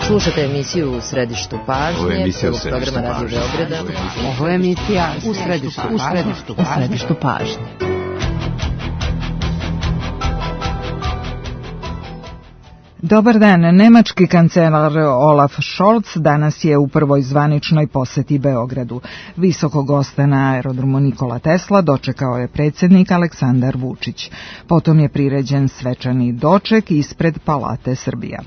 Slušate emisiju U središtu pažnje, prvog programa Radio Beograda. Ovo je emisija U središtu pažnje. Dobar dan. Nemački kancelar Olaf Scholz danas je u prvoj zvaničnoj poseti Beogradu. Visokog gosta na aerodromu Nikola Tesla dočekao je predsjednik Aleksandar Vučić. Potom je priređen svečani doček ispred Palate Srbija.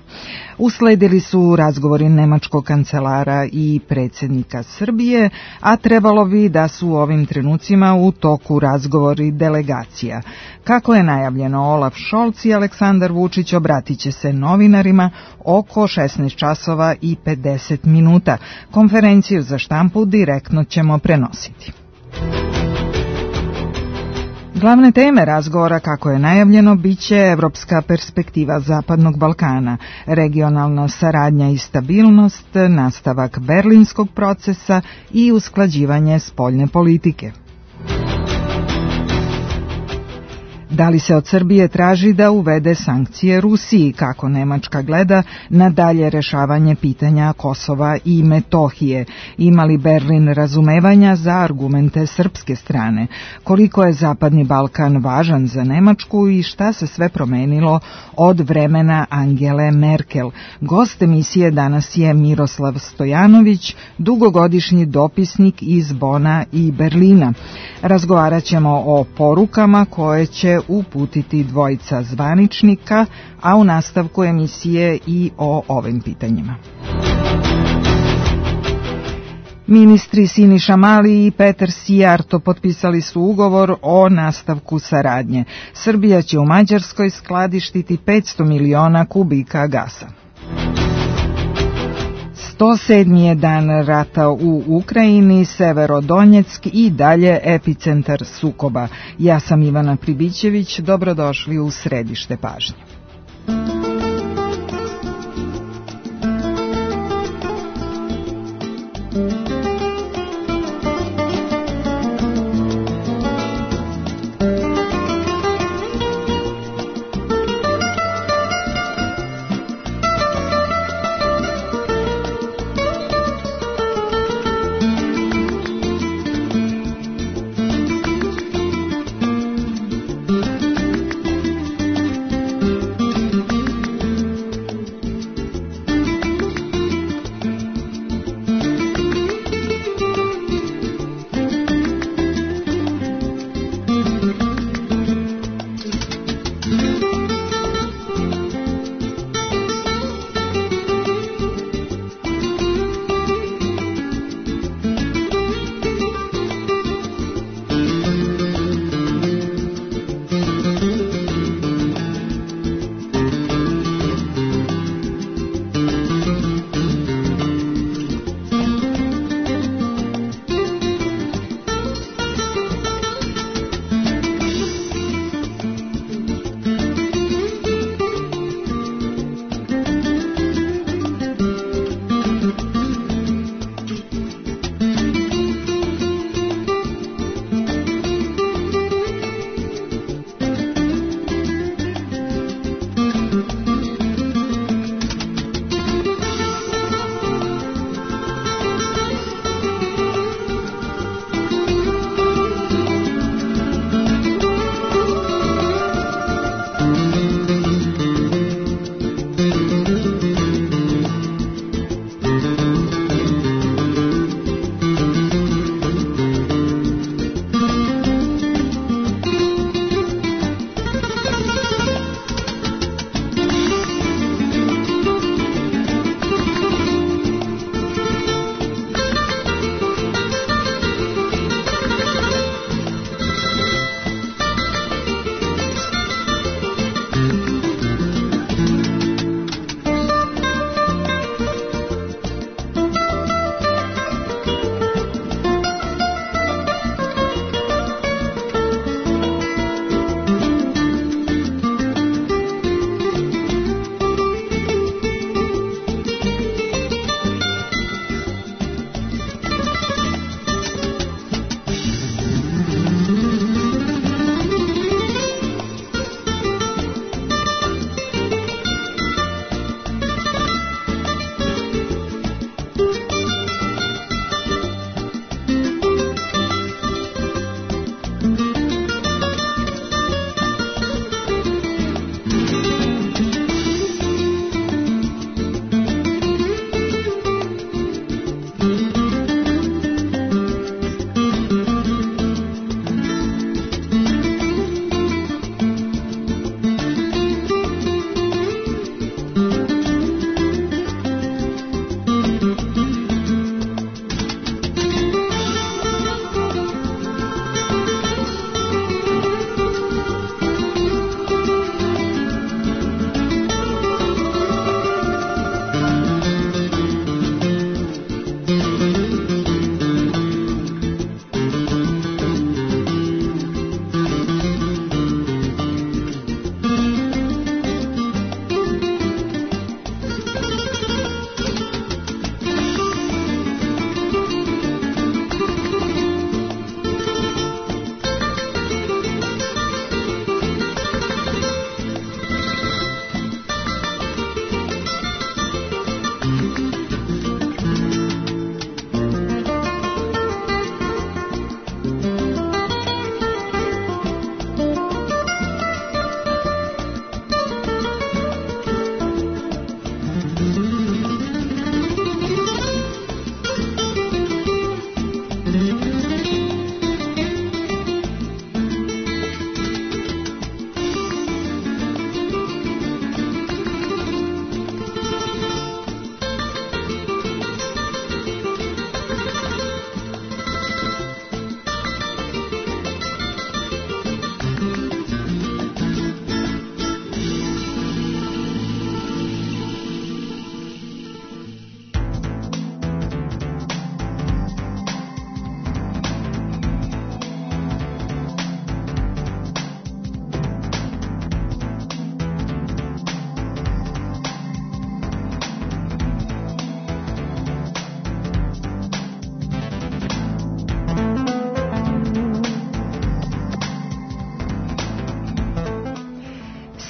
Usledili su razgovori nemačkog kancelara i predsjednika Srbije, a trebalo bi da su u ovim trenucima u toku razgovori delegacija. Kako je najavljeno, Olaf Scholz i Aleksandar Vučić obratit će se novinarima oko 16 časova i 50 minuta. Konferenciju za štampu direktno ćemo prenositi. Glavne teme razgovora, kako je najavljeno, biće evropska perspektiva Zapadnog Balkana, regionalna saradnja i stabilnost, nastavak berlinskog procesa i usklađivanje spoljne politike. Da li se od Srbije traži da uvede sankcije Rusiji, kako Nemačka gleda na dalje rešavanje pitanja Kosova i Metohije? Ima li Berlin razumevanja za argumente srpske strane? Koliko je Zapadni Balkan važan za Nemačku i šta se sve promenilo od vremena Angele Merkel? Gost emisije danas je Miroslav Stojanović, dugogodišnji dopisnik iz Bona i Berlina. Razgovarat ćemo o porukama koje će uputiti dvojica zvaničnika, a u nastavku emisije i o ovim pitanjima. Ministri Siniša Mali i Petar Sijarto potpisali su ugovor o nastavku saradnje. Srbija će u Mađarskoj skladištiti 500 miliona kubika gasa. 107. je dan rata u Ukrajini, Severodonjeck i dalje epicentar sukoba. Ja sam Ivana Pribićević, dobrodošli u središte pažnje.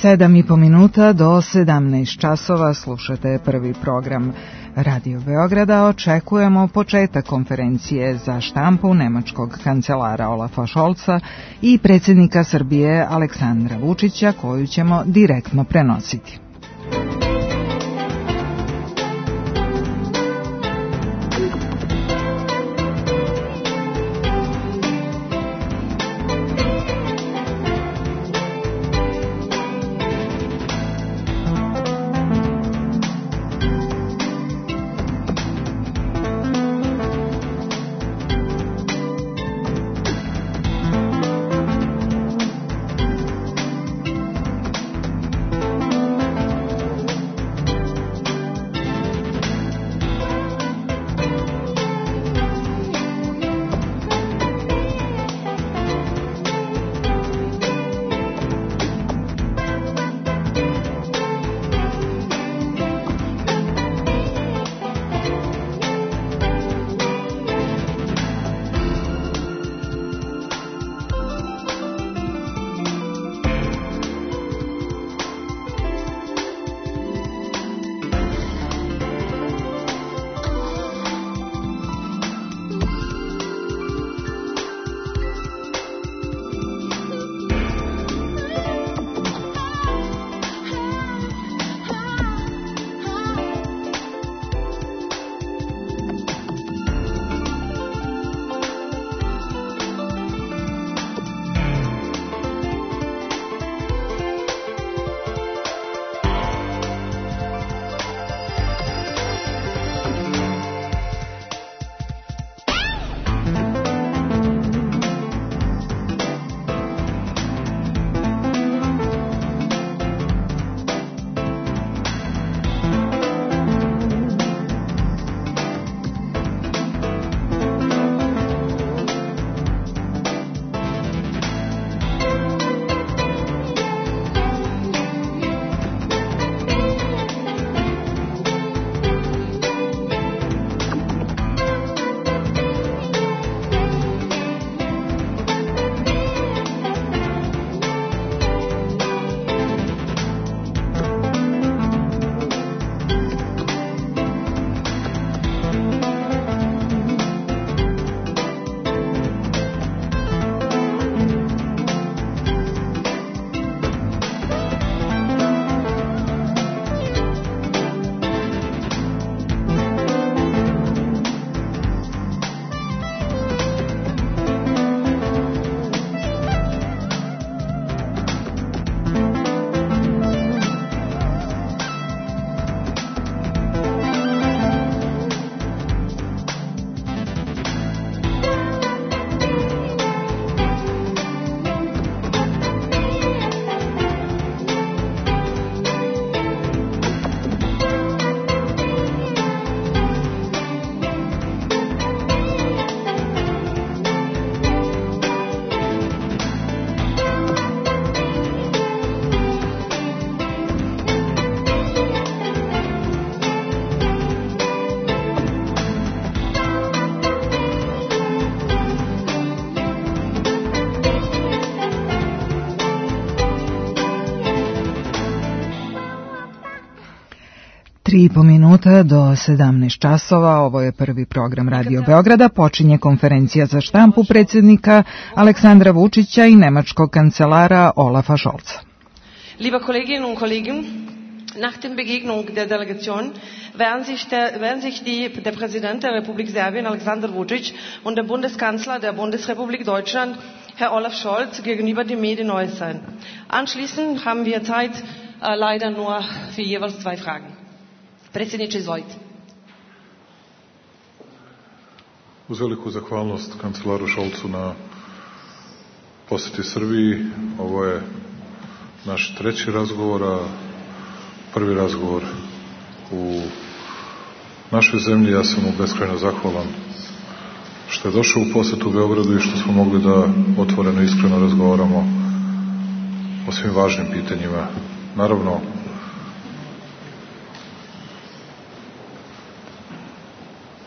7,5 minuta do 17 časova slušate prvi program Radio Beograda. Očekujemo početak konferencije za štampu nemačkog kancelara Olafa Scholza i predsjednika Srbije Aleksandra Vučića, koju ćemo direktno prenositi. Tri i po minuta do 17 časova, ovo je prvi program Radio Beograda, počinje konferencija za štampu predsjednika Aleksandra Vučića i nemačkog kancelara Olafa Scholza. Liebe Kolleginnen und Kollegen, nach der Begegnung der Delegation werden sich der Präsident der Republik Serbien, Aleksandar Vučić, und der Bundeskanzler der Bundesrepublik Deutschland, Herr Olaf Scholz, gegenüber den Medien äußern. Anschließend haben wir Zeit leider nur für jeweils 2 Fragen. Predsjedniče, izvolite. Uz veliku zahvalnost kancelaru Scholzu na posjeti Srbiji, ovo je naš 3. razgovor, a prvi razgovor u našoj zemlji. Ja sam mu beskrajno zahvalan što je došao u posjetu Beogradu i što smo mogli da otvoreno i iskreno razgovaramo o svim važnim pitanjima. Naravno,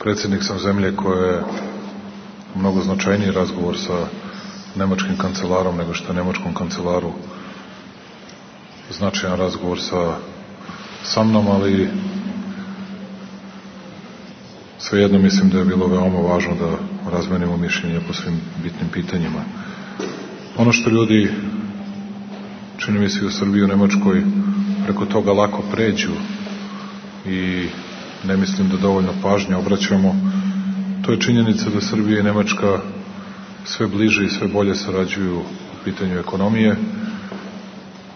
predsjednik sam zemlje koja je mnogo značajniji razgovor sa nemačkim kancelarom nego što je nemačkom kancelaru značajan razgovor sa mnom, ali svejedno mislim da je bilo veoma važno da razmenimo mišljenje po svim bitnim pitanjima. Ono što ljudi, čini mi se u Srbiji, u Nemačkoj, preko toga lako pređu i ne mislim da dovoljno pažnje obraćamo, to je činjenica da Srbija i Nemačka sve bliže i sve bolje sarađuju u pitanju ekonomije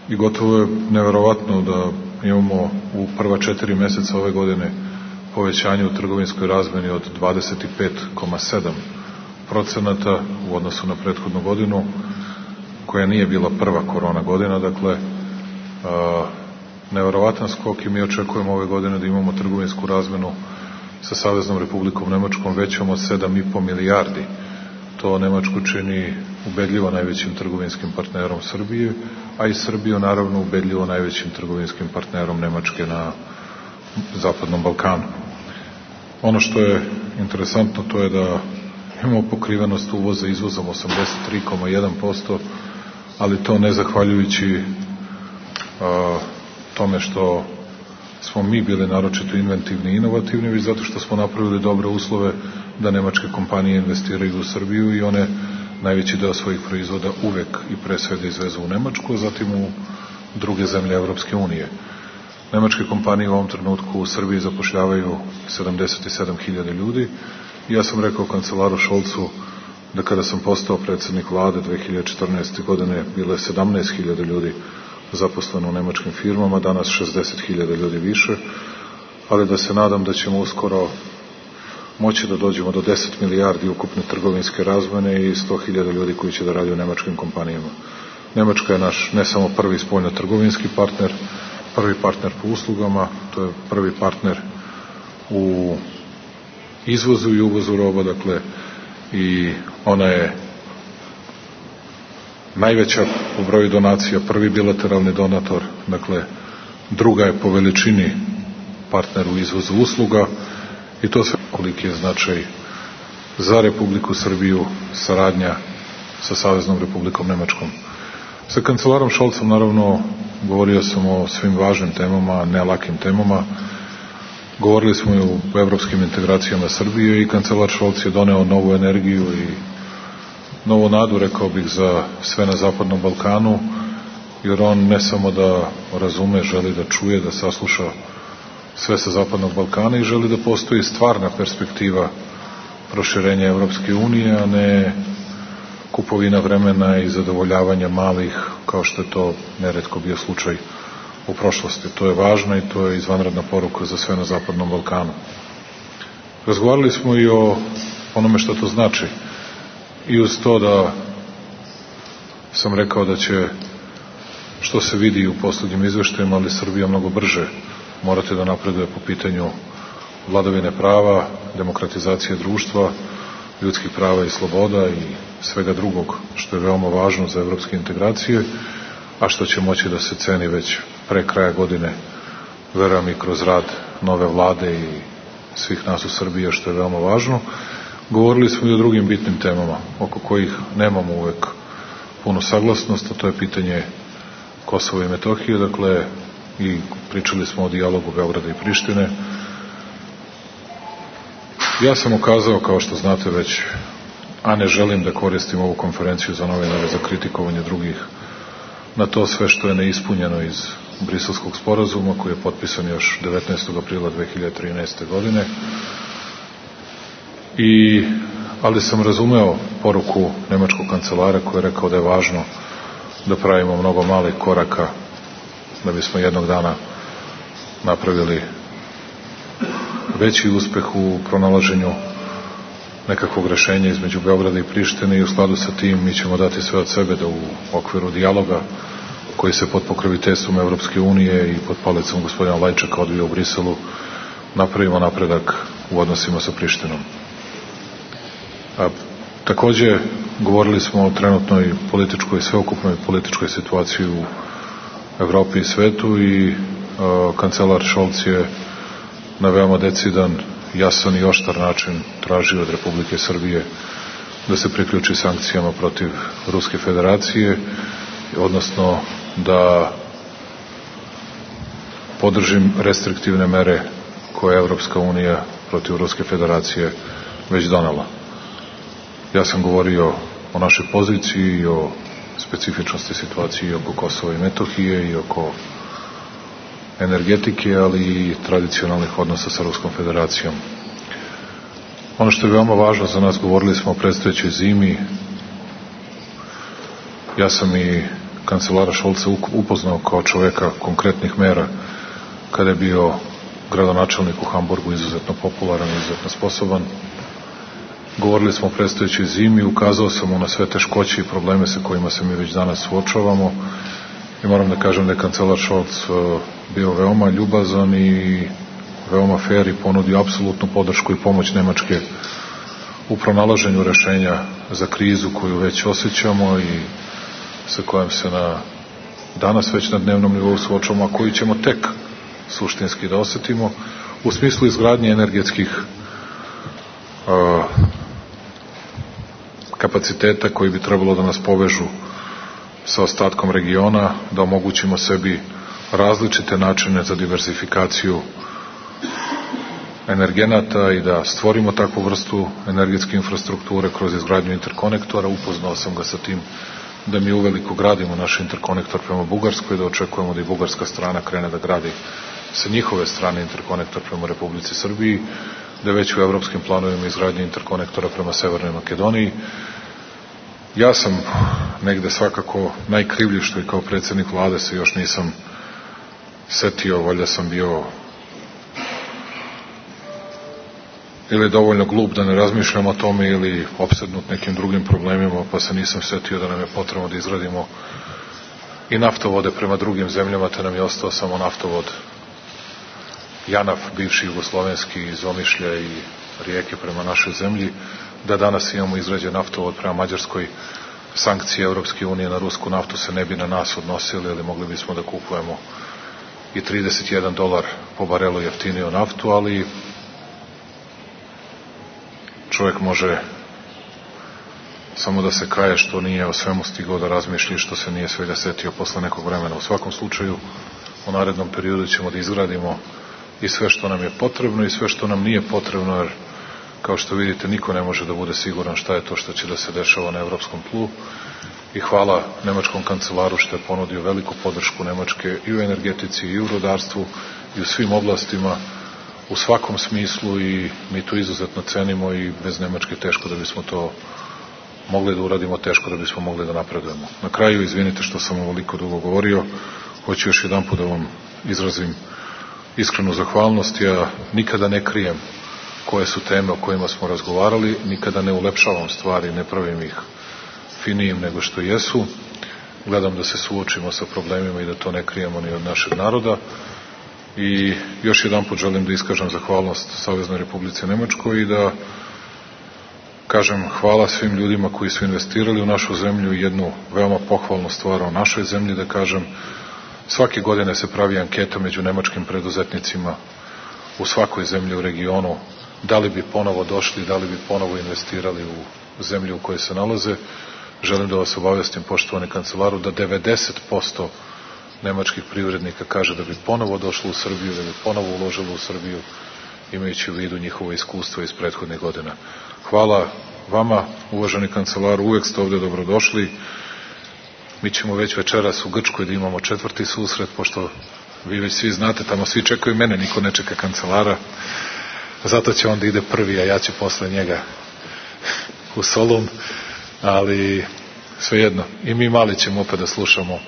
i gotovo je neverovatno da imamo u prva 4 meseca ove godine povećanje u trgovinskoj razmeni od 25,7% u odnosu na prethodnu godinu, koja nije bila prva korona godina. Dakle, neverovatan skok i mi očekujemo ove godine da imamo trgovinsku razmenu sa Saveznom Republikom Nemačkom većom od 7,5 milijardi. To Nemačku čini ubedljivo najvećim trgovinskim partnerom Srbije, a i Srbiju naravno ubedljivo najvećim trgovinskim partnerom Nemačke na Zapadnom Balkanu. Ono što je interesantno to je da imamo pokrivenost uvoza izvozom 83,1%, ali to ne zahvaljujući tome što smo mi bili naročito inventivni i inovativni, već zato što smo napravili dobre uslove da nemačke kompanije investiraju u Srbiju i one najveći deo svojih proizvoda uvek i pre svega izvezu u Nemačku, a zatim u druge zemlje Evropske unije. Nemačke kompanije u ovom trenutku u Srbiji zapošljavaju 77.000 ljudi. Ja sam rekao kancelaru Šolcu da kada sam postao predsednik vlade 2014. godine bilo je 17.000 ljudi zaposleno u nemačkim firmama, danas 60.000 ljudi više, ali da se nadam da ćemo uskoro moći da dođemo do 10 milijardi ukupne trgovinske razmene i 100.000 ljudi koji će da radi u nemačkim kompanijama. Nemačka je naš ne samo prvi spoljno-trgovinski partner, prvi partner po uslugama, to je prvi partner u izvozu i uvozu roba, dakle, i ona je najveća po broju donacija, prvi bilateralni donator, dakle, druga je po veličini partner u izvozu usluga i to sve koliki je značaj za Republiku Srbiju saradnja sa Saveznom Republikom Nemačkom. Sa kancelarom Šolcom, naravno, govorio sam o svim važnim temama, ne lakim temama. Govorili smo i o evropskim integracijama Srbije i kancelar Šolc je doneo novu energiju i novu nadu, rekao bih, za sve na Zapadnom Balkanu, jer on ne samo da razume, želi da čuje, da sasluša sve sa Zapadnog Balkana i želi da postoji stvarna perspektiva proširenja Evropske unije, a ne kupovina vremena i zadovoljavanja malih, kao što je to neretko bio slučaj u prošlosti. To je važno i to je izvanredna poruka za sve na Zapadnom Balkanu. Razgovarali smo i o onome što to znači. I uz to da sam rekao da će, što se vidi u poslednjim izveštajima, ali Srbija mnogo brže morate da napreduje po pitanju vladavine prava, demokratizacije društva, ljudskih prava i sloboda i svega drugog što je veoma važno za evropske integracije, a što će moći da se ceni već pre kraja godine, verujem i kroz rad nove vlade i svih nas u Srbiji, što je veoma važno. Govorili smo i o drugim bitnim temama, oko kojih nemamo uvek punu saglasnost, a to je pitanje Kosova i Metohije, dakle, i pričali smo o dijalogu Beograda i Prištine. Ja sam ukazao, kao što znate već, a ne želim da koristim ovu konferenciju za novinare za kritikovanje drugih, na to sve što je neispunjeno iz Briselskog sporazuma, koji je potpisan još 19. aprila 2013. godine. Ali sam razumeo poruku nemačkog kancelara koji je rekao da je važno da pravimo mnogo malih koraka da bismo jednog dana napravili veći uspeh u pronalaženju nekakvog rešenja između Beograda i Prištine i u skladu sa tim mi ćemo dati sve od sebe da u okviru dijaloga koji se pod pokroviteljstvom Evropske unije i pod palicom gospodina Lajčaka odvija u Briselu napravimo napredak u odnosima sa Prištinom. Takođe, govorili smo o trenutnoj političkoj, sveukupnoj političkoj situaciji u Evropi i svetu i kancelar Šolc je na veoma decidan, jasan i oštar način tražio od Republike Srbije da se priključi sankcijama protiv Ruske federacije, odnosno da podržim restriktivne mere koje je Evropska unija protiv Ruske federacije već donela. Ja sam govorio o našoj poziciji i o specifičnosti situacije oko Kosova i Metohije i oko energetike, ali i tradicionalnih odnosa sa Ruskom federacijom. Ono što je veoma važno za nas, govorili smo o predstojećoj zimi. Ja sam i kancelara Šolca upoznao kao čoveka konkretnih mera kada je bio gradonačelnik u Hamburgu, izuzetno popularan, izuzetno sposoban. Govorili smo o predstojećoj zimi, ukazao sam mu na sve teškoće i probleme sa kojima se mi već danas suočavamo i moram da kažem da je kancelar Šolc bio veoma ljubazan i veoma fair i ponudio apsolutnu podršku i pomoć Nemačke u pronalaženju rešenja za krizu koju već osjećamo i sa kojom se danas već na dnevnom nivou suočavamo, a koju ćemo tek suštinski da osetimo u smislu izgradnje energetskih kapaciteta koji bi trebalo da nas povežu sa ostatkom regiona, da omogućimo sebi različite načine za diversifikaciju energenata i da stvorimo takvu vrstu energetske infrastrukture kroz izgradnju interkonektora. Upoznao sam ga sa tim da mi uveliko gradimo naš interkonektor prema Bugarskoj, da očekujemo da i bugarska strana krene da gradi sa njihove strane interkonektor prema Republici Srbiji, da je već u evropskim planovima izgradnje interkonektora prema Severnoj Makedoniji. Ja sam negde svakako najkrivlji što i kao predsednik vlade se još nisam setio, valjda sam bio ili dovoljno glup da ne razmišljam o tome ili opsednut nekim drugim problemima, pa se nisam setio da nam je potrebno da izgradimo i naftovode prema drugim zemljama, te nam je ostao samo naftovod Janaf, bivši jugoslovenski, iz Omišlja i Rijeke prema našoj zemlji, da danas imamo izgrađen naftovod prema Mađarskoj. Sankcije Evropske unije na rusku naftu se ne bi na nas odnosili, ali mogli bismo da kupujemo i $31 po barelu jeftiniju naftu, ali čovjek može samo da se kaje što nije o svemu stigao da razmišlja, što se nije svega setio posle nekog vremena. U svakom slučaju, u narednom periodu ćemo da izgradimo i sve što nam je potrebno i sve što nam nije potrebno, jer kao što vidite niko ne može da bude siguran šta je to što će da se dešava na evropskom tlu i hvala nemačkom kancelaru što je ponudio veliku podršku Nemačke i u energetici i u rudarstvu i u svim oblastima u svakom smislu i mi to izuzetno cenimo i bez Nemačke teško da bismo to mogli da uradimo, teško da bismo mogli da napredujemo. Na kraju, izvinite što sam ovoliko dugo govorio, hoću još jedan put da vam izrazim iskrenu zahvalnost. Ja nikada ne krijem koje su teme o kojima smo razgovarali, nikada ne ulepšavam stvari, ne pravim ih finijim nego što jesu. Gledam da se suočimo sa problemima i da to ne krijemo ni od našeg naroda. I još jedan put želim da iskažem zahvalnost Saveznoj Republici Nemačkoj i da kažem hvala svim ljudima koji su investirali u našu zemlju i jednu veoma pohvalnu stvar o našoj zemlji, da kažem, svake godine se pravi anketa među nemačkim preduzetnicima u svakoj zemlji u regionu, da li bi ponovo došli, da li bi ponovo investirali u zemlju u kojoj se nalaze. Želim da vas obavestim, poštovani kancelaru, da 90% nemačkih privrednika kaže da bi ponovo došlo u Srbiju, da bi ponovo uložilo u Srbiju, imajući u vidu njihovo iskustvo iz prethodnih godina. Hvala vama, uvaženi kancelaru, uvek ste ovde dobrodošli. Mi ćemo već večeras u Grčkoj da imamo 4. susret, pošto vi već svi znate, tamo svi čekaju mene, niko ne čeka kancelara. Zato će on da ide prvi, a ja ću posle njega u Solun, ali svejedno, i mi mali ćemo opet da slušamo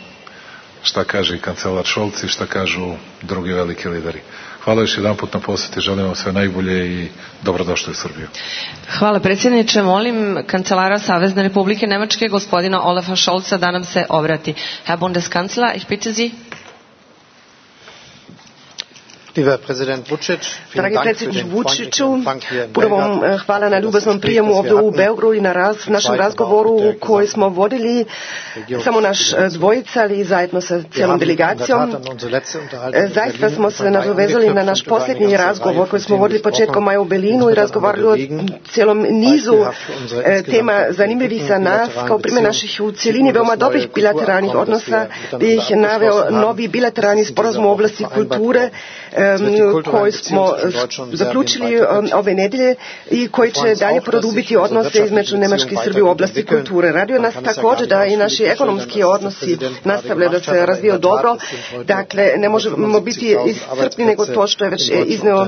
šta kaže i kancelar Šolc i šta kažu drugi veliki lideri. Hvala još jedan put na poseti, želim vam sve najbolje i dobrodošli u Srbiju. Hvala predsjedniče, molim kancelara Savezne Republike Nemačke, gospodina Olafa Šolca, da nam se obrati. Herr Bundeskanzler, ich bitte Sie. Dragi predsjedniče Vučiću, puno vam hvala na ljubaznom prijemu ovdje u Beogradu i na našem razgovoru koji smo vodili samo naš dvojica, ali zajedno sa cijelom delegacijom. Zaista smo se nadovezali na naš posljednji razgovor koji smo vodili početkom maja u Berlinu i razgovarali o cijelom nizu tema zanimljivih za nas, kao primjer naših u cjelini veoma dobrih bilateralnih odnosa, bih naveo novi bilateralni sporazum u oblasti kulture koji smo zaključili ove nedjelje i koji će dalje produbiti odnose između Njemačke i Srbije u oblasti kulture. Radio nas također da i naši ekonomski odnosi nastavljaju da se razvijaju dobro. Dakle, ne možemo biti iscrpni nego to što je već izneo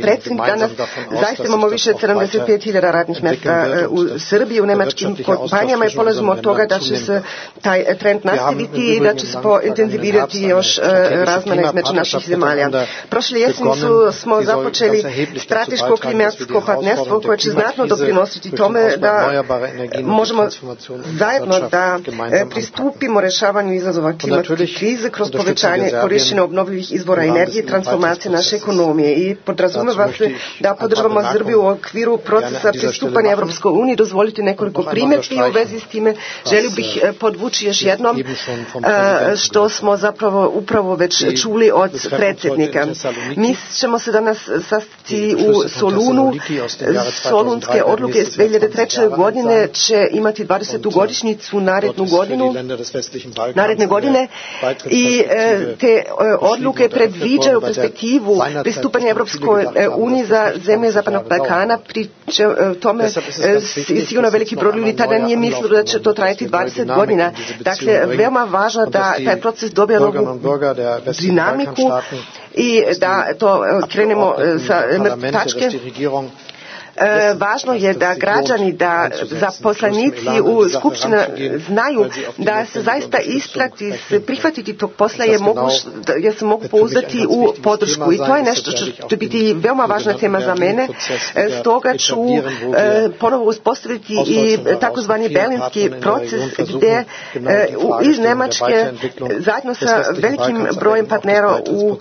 predsjednik danas. Zaista imamo više od 75.000 radnih mjesta u Srbiji, u njemačkim kompanijama i polazimo od toga da će se taj trend nastaviti i da će se intenzivirati još razmjena između naših zemalja. Prošle jeseni smo započeli strateško klimatsko partnerstvo koje će znatno doprinositi tome da možemo zajedno da pristupimo rješavanju izazova klimatske krize kroz povećanje korištenja obnovljivih izvora energije i transformacije naše ekonomije. I podrazumeva se da podržavamo Srbiju u okviru procesa pristupanja Europskoj uniji. Dozvolite nekoliko primjedbi u vezi s time. Želio bih podvući još jednom što smo zapravo upravo već čuli od predsjednika. Mi ćemo se danas sastati u Solunu. Solunske odluke iz 2003. godine će imati 20. godišnjicu naredne godine i te odluke predviđaju perspektivu pristupanja Europskoj uniji za zemlje Zapadnog Balkana, pri tome sigurno veliki broj ljudi tada nije mislilo da će to trajati 20 godina. Dakle, veoma važno da taj proces dobije novu dinamiku i da to krenemo sa mrtve tačke. Važno je da građani, da zaposlenici u Skupštini znaju da se zaista isplati prihvatiti tog posla jer se mogu pouzdati u podršku i to je nešto što će biti veoma važna tema za mene. Stoga ću ponovo uspostaviti i takozvani berlinski proces gdje iz Njemačke zajedno sa velikim brojem partnera u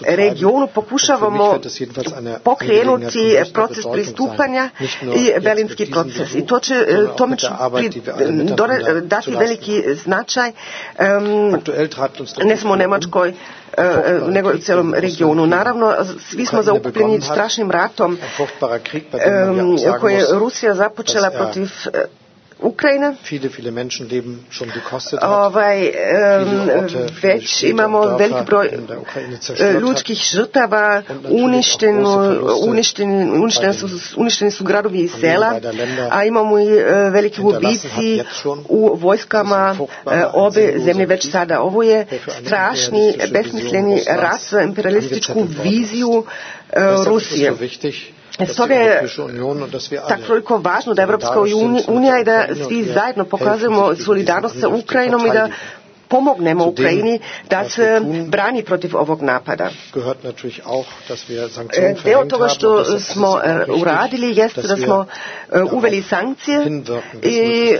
regionu pokušavamo pokrenuti proces pristupanja i berlinski proces. I to će tome dati veliki značaj ne samo u Njemačkoj nego u cijelom regionu. Naravno, svi smo zaokupljeni strašnim ratom koje je Rusija započela protiv Ukrajina. Već imamo veliki broj ljudskih žrtava, uništeni su gradovi i sela, a imamo i velike ubici u vojskama obe zemlje već sada. Ovo je strašni, besmisleni rat za imperialističku viziju Rusije. Stoga je tako toliko važno da Evropska unija i da svi zajedno pokazujemo solidarnost sa Ukrajinom i da pomognemo Ukrajini da se brani protiv ovog napada. Dio toga što smo uradili jeste da smo uveli sankcije i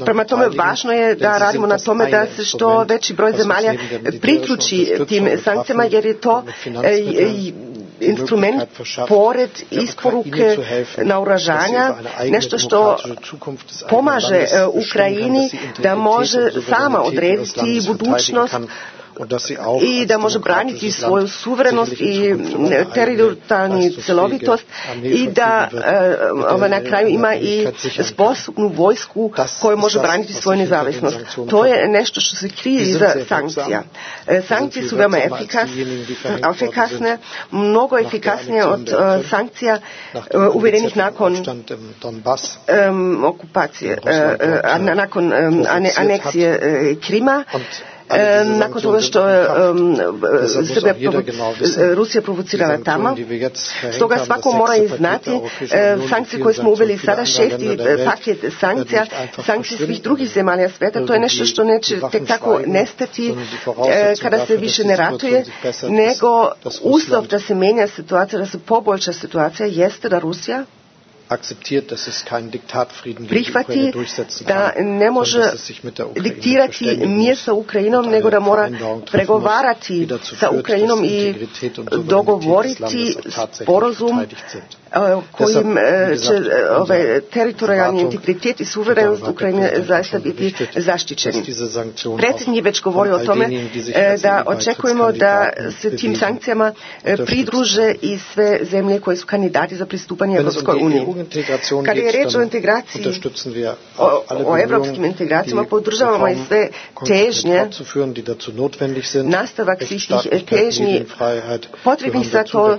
prema tome važno je da radimo na tome da se što veći broj zemalja priključi tim sankcijama jer je to instrument pored isporuke naoružanja, nešto što pomaže Ukrajini da može sama odrediti budućnost i da može braniti svoju suverenost i teritorijalnu cjelovitost i da na kraju ima i sposobnu vojsku koja može braniti svoju nezavisnost. To je nešto što se krije iza sankcija. Sankcije su veoma efikasne, mnogo efikasnije od sankcija uvedenih nakon okupacije, nakon aneksije Krima. Nakon toga što je Rusija provocirala tamo. Stoga svako mora i znati sankcije koje smo uveli sada, 6. paket sankcija, sankcije svih drugih zemalja svijeta, to je nešto što neće tek tako nestati kada se više ne ratuje, nego uslov da se menja situacija, da se poboljša situacija jeste da Rusija prihvati da ne može diktirati mir sa Ukrajinom, nego da mora pregovarati sa Ukrajinom i dogovoriti sporazum kojim će teritorijalni integritet i suverenost Ukrajine zaista biti zaštićeni. Predsjednik je već govorio o tome da očekujemo da se tim sankcijama pridruže i sve zemlje koje su kandidati za pristupanje Europskoj uniji. Kada je reč o integraciji, o evropskim integracijama, podržavamo i sve težnje, nastavak svih tih težnji potrebnih za to.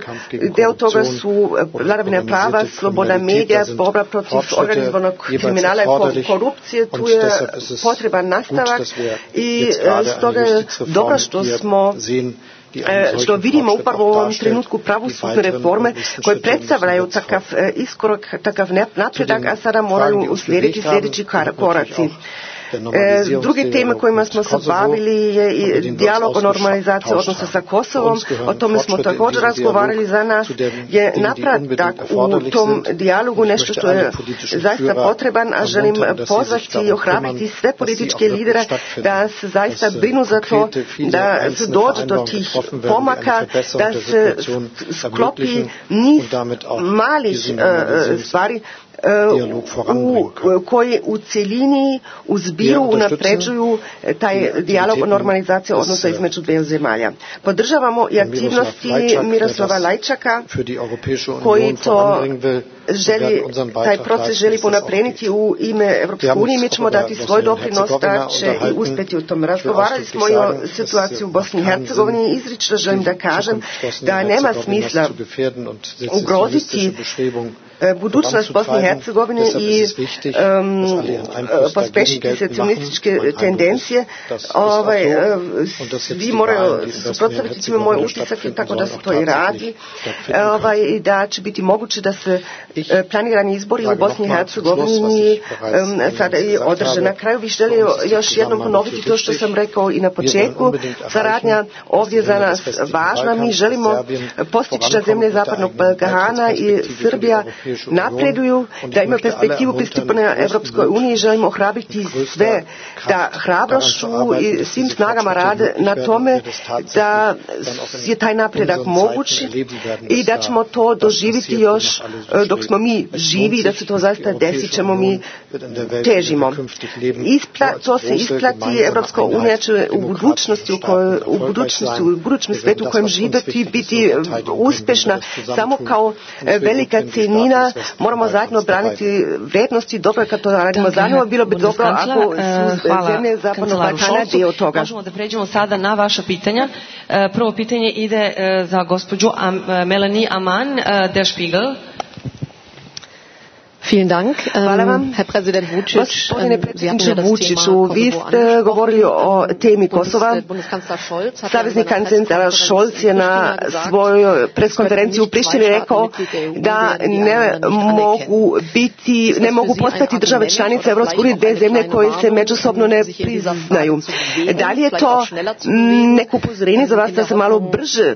Deo toga su vladavina prava, sloboda medija, borba protiv organizovanog kriminala i korupcije. Tu je potreban nastavak i stoga je dobro što vidimo upravo u ovom trenutku pravosudne reforme koje predstavljaju takav iskorak, takav napredak, a sada moraju uslijediti sljedeći koraci. Druge teme kojima smo se bavili je i dijalog o normalizaciji odnosa sa Kosovom. O tome smo također razgovarali. Za nas je napredak u tom dijalogu nešto što je zaista potreban, a želim pozvati i ohrabriti sve političke lidere da se zaista brinu za to da se dođe do tih pomaka, da se sklopi niz malih stvari koji u cjelini u zbiru unapređuju taj dijalog o normalizaciji odnosa između dviju zemalja. Podržavamo i aktivnosti Miroslava Lajčaka koji to taj proces želi ponaprijediti u ime Europske unije. Mi ćemo dati svoj doprinos da će i uspjeti u tom. Razgovarali smo i o situaciji u Bosni i Hercegovini. Izrično želim da kažem da nema smisla ugroziti budućnost Bosne i Hercegovine i pospešiti secesionističke tendencije. Svi moraju suprotstaviti time. Moj utisak je tako da se to i radi i da će biti moguće da se planirani izbori u Bosni i Hercegovini sada i održe. Na kraju bih želio još jednom ponoviti to što sam rekao i na početku. Saradnja ovdje za nas važna. Mi želimo postići da zemlje Zapadnog Balkana i Srbija napreduju, da imaju perspektivu pristupanja Europskoj uniji. Želimo ohrabriti sve da hrabrošću i svim snagama rade na tome da je taj napredak moguć i da ćemo to doživjeti još dok smo mi živi, da se to zaista desit ćemo, mi težimo. To se isplati. Europska unija će u budućem svijetu u kojem živjeti biti uspješna samo kao velika cijenina. Moramo zajedno braniti vrijednosti. Dobro je kad to radimo zajedno. Bilo bi dobro ako su zemlje Zapadnog Balkana dio toga. Možemo da pređemo sada na vaša pitanja. Prvo pitanje ide za gospođu Melanie Amann, Der Spiegel. Vielen Dank, Herr Präsident Vučić. Gospodine predsjedniče Vučiću, vi ste govorili o temi Kosova. Savezni kancelar Scholz je na svojoj preskonferenciji u Prištini rekao da ne mogu postati države članice Europske unije dvije zemlje koje se međusobno ne priznaju. Da li je to neko upozorenje za vas da se malo brže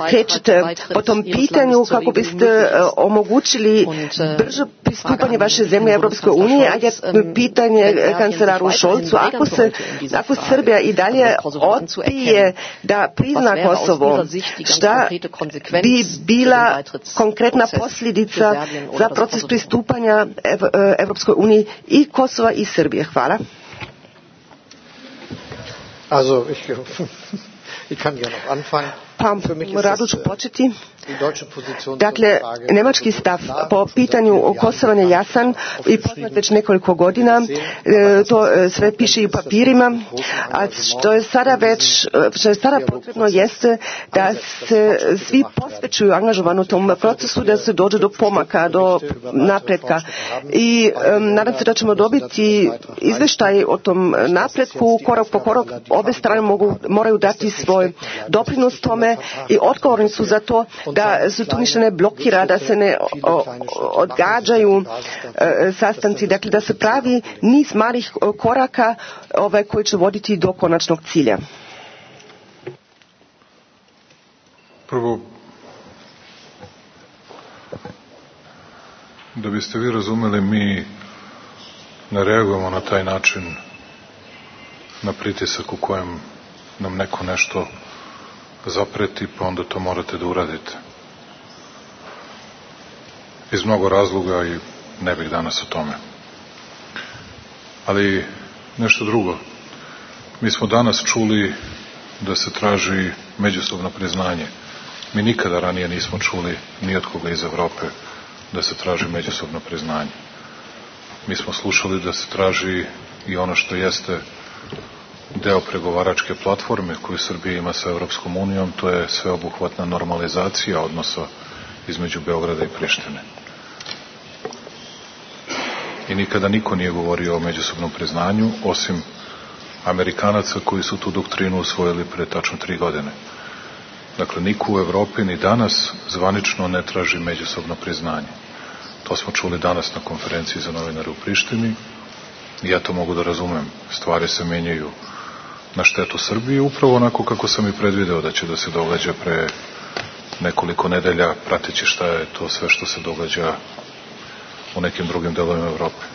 krećete po tom pitanju kako biste omogućili brže pristupanje vaše zemlje Europskoj uniji, a je pitanje kancelaru Scholzu, ako Srbija i dalje odbije da prizna Kosovo, šta bi bila konkretna posljedica za proces pristupanja Europskoj uniji i Kosova i Srbije? Hvala. Also, ich kann ja noch anfangen. Rado ću početi. Dakle, njemački stav po pitanju Kosova je jasan i poznat već nekoliko godina. To sve piše i u papirima. A što je sada potrebno jeste da se svi posvećuju angažovano u tom procesu, da se dođe do pomaka, do napretka. I nadam se da ćemo dobiti izvještaj o tom napretku. Korak po korak obe strane moraju dati svoj doprinos tome i odgovorni su za to da se tu ništa ne blokira, da se ne odgađaju sastanci, dakle da se pravi niz malih koraka koji će voditi do konačnog cilja. Prvo, Da biste vi razumeli, mi ne reagujemo na taj način na pritisak u kojem nam neko nešto zapreti, pa onda to morate da uradite. Iz mnogo razloga i ne bih danas o tome. Ali nešto drugo. Mi smo danas čuli da se traži međusobno priznanje. Mi nikada ranije nismo čuli ni od koga iz Evrope da se traži međusobno priznanje. Mi smo slušali da se traži i ono što jeste deo pregovaračke platforme koju Srbija ima sa Evropskom unijom, to je sveobuhvatna normalizacija odnosa između Beograda i Prištine. I nikada niko nije govorio o međusobnom priznanju, osim Amerikanaca koji su tu doktrinu usvojili pre tačno 3 godine. Dakle, niko u Evropi ni danas zvanično ne traži međusobno priznanje. To smo čuli danas na konferenciji za novinare u Prištini i ja to mogu da razumem. Stvari se menjaju na štetu Srbije, upravo onako kako sam i predvideo da će da se događa pre nekoliko nedelja, prateći šta je to sve što se događa u nekim drugim delovima Evrope.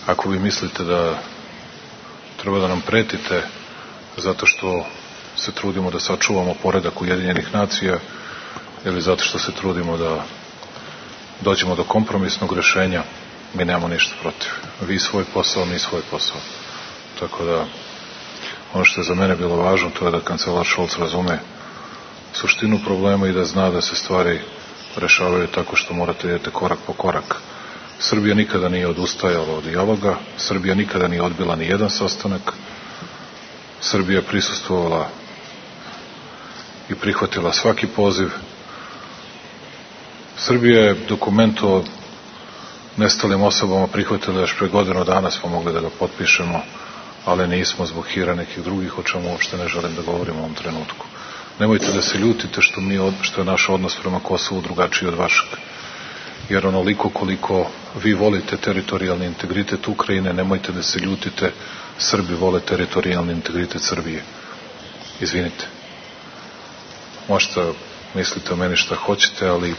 Ako vi mislite da treba da nam pretite zato što se trudimo da sačuvamo poredak Ujedinjenih nacija ili zato što se trudimo da dođemo do kompromisnog rešenja, mi nemamo ništa protiv. Vi svoj posao, mi svoj posao. Tako da, ono što je za mene bilo važno, to je da kancelar Scholz razume suštinu problema i da zna da se stvari rešavaju tako što morate idete korak po korak. Srbija nikada nije odustajala od dijaloga, Srbija nikada nije odbila ni jedan sastanak, Srbija je prisustvovala i prihvatila svaki poziv. Srbija je dokument o nestalim osobama prihvatila još pre godinu dana, smo mogli da ga potpišemo, ali nismo zbog hira nekih drugih, o čemu uopšte ne želim da govorim u ovom trenutku. Nemojte da se ljutite što je naš odnos prema Kosovu drugačiji od vašeg. Jer onoliko koliko vi volite teritorijalni integritet Ukrajine, nemojte da se ljutite, Srbi vole teritorijalni integritet Srbije. Izvinite. Možete mislite o meni šta hoćete, ali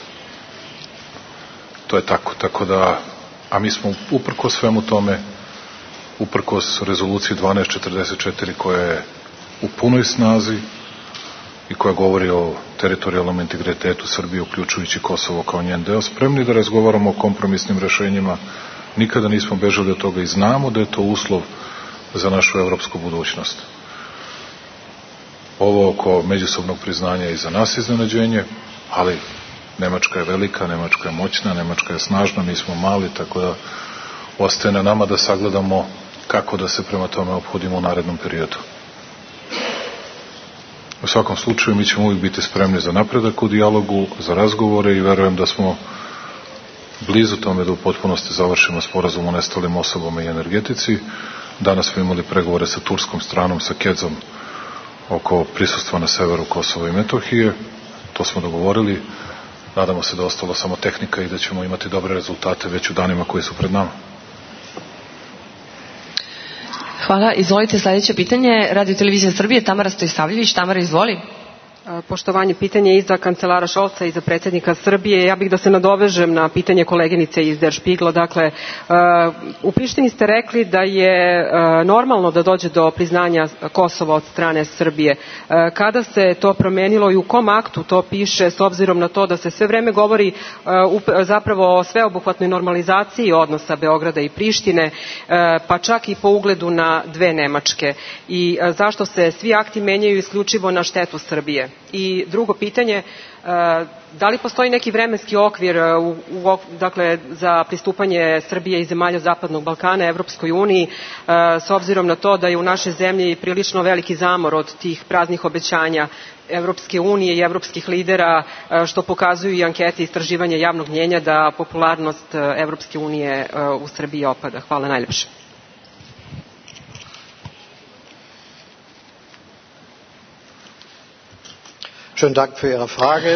to je tako. Tako da, a mi smo uprkos svemu tome, uprkos rezoluciji 1244 koja je u punoj snazi i koja govori o teritorijalnom integritetu Srbije, uključujući Kosovo kao njen deo, spremni da razgovaramo o kompromisnim rešenjima. Nikada nismo bežali od toga i znamo da je to uslov za našu evropsku budućnost. Ovo oko međusobnog priznanja je i za nas iznenađenje, ali Nemačka je velika, Nemačka je moćna, Nemačka je snažna, mi smo mali, tako da ostaje na nama da sagledamo kako da se prema tome ophodimo u narednom periodu. U svakom slučaju mi ćemo uvijek biti spremni za napredak u dijalogu, za razgovore i verujem da smo blizu tome da u potpunosti završimo sporazum o nestalim osobama i energetici. Danas smo imali pregovore sa turskom stranom, sa Kedzom, oko prisustva na severu Kosova i Metohije. To smo dogovorili. Nadamo se da je ostalo samo tehnika i da ćemo imati dobre rezultate već u danima koji su pred nama. Hvala. Izvolite sledeće pitanje. Radio televizija Srbije, Tamara Stojsavljević. Tamara, izvoli. Poštovanje, pitanje i za kancelara Šolca i za predsjednika Srbije. Ja bih da se nadovežem na pitanje koleginice iz Der Spiegla. Dakle, u Prištini ste rekli da je normalno da dođe do priznanja Kosova od strane Srbije. Kada se to promenilo i u kom aktu to piše, s obzirom na to da se sve vreme govori zapravo o sveobuhvatnoj normalizaciji odnosa Beograda i Prištine, pa čak i po ugledu na dve Nemačke? I zašto se svi akti menjaju isključivo na štetu Srbije? I drugo pitanje, da li postoji neki vremenski okvir dakle, za pristupanje Srbije i zemalja Zapadnog Balkana Evropskoj uniji, s obzirom na to da je u našoj zemlji prilično veliki zamor od tih praznih obećanja Evropske unije i evropskih lidera, što pokazuju i ankete i istraživanja javnog mnjenja da popularnost Evropske unije u Srbiji opada? Hvala najljepše.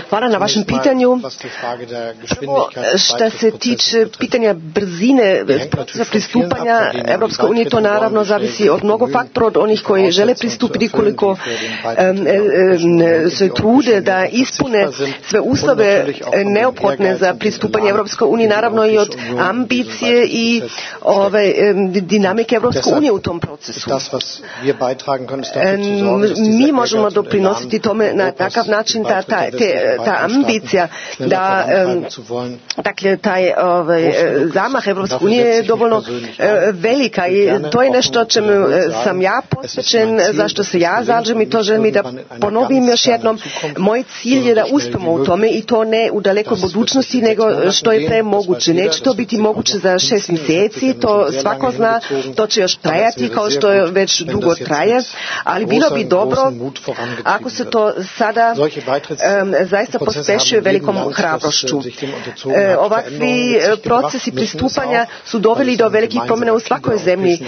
Hvala na vašem pitanju. Prvo, što se tiče pitanja brzine procesa pristupanja Europske unije, to naravno zavisi od mnogo faktora, od onih koji žele pristupiti, koliko se trude da ispune sve uslove neophodne za pristupanje Europske unije, naravno i od ambicije i dinamike Europske unije u tom procesu. Mi možemo doprinositi tome na takav način da ta ambicija, da dakle taj zamah Evropske unije je dovoljno velika i to je nešto čemu sam ja posvećen, zašto se ja zalažem i to želim i da ponovim još jednom. Moj cilj je da uspemo u tome i to ne u dalekoj budućnosti, nego što je pre moguće. Neće to biti moguće za 6 mjeseci, to svako zna, to će još trajati kao što je već dugo traje, ali bilo bi dobro ako se to sada zaista pospešuje velikom hrabrošću. Ovakvi procesi pristupanja su doveli do velikih promjena u svakoj zemlji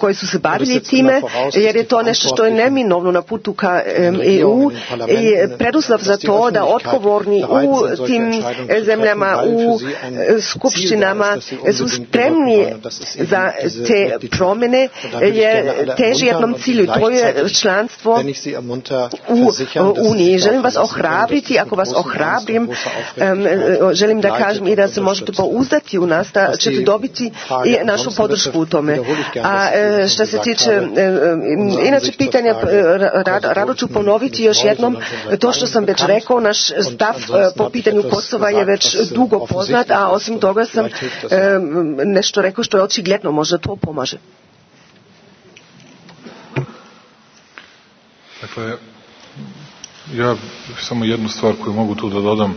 koji su se bavili time, jer je to nešto što je neminovno na putu ka EU i preduslov za to da odgovorni u tim zemljama, u skupštinama su spremni za te promjene, jer teži jednom cilju, to je članstvo u Uniji. Želim vas ohrabriti, ako vas ohrabrim, želim da kažem i da se možete pouzdati u nas, da ćete dobiti i našu podršku u tome. A što se tiče inače pitanja, rado ću ponoviti još jednom to što sam već rekao, naš stav po pitanju Kosova je već dugo poznat, a osim toga sam nešto rekao što je očigledno, možda to pomaže. Dakle, ja samo jednu stvar koju mogu tu da dodam.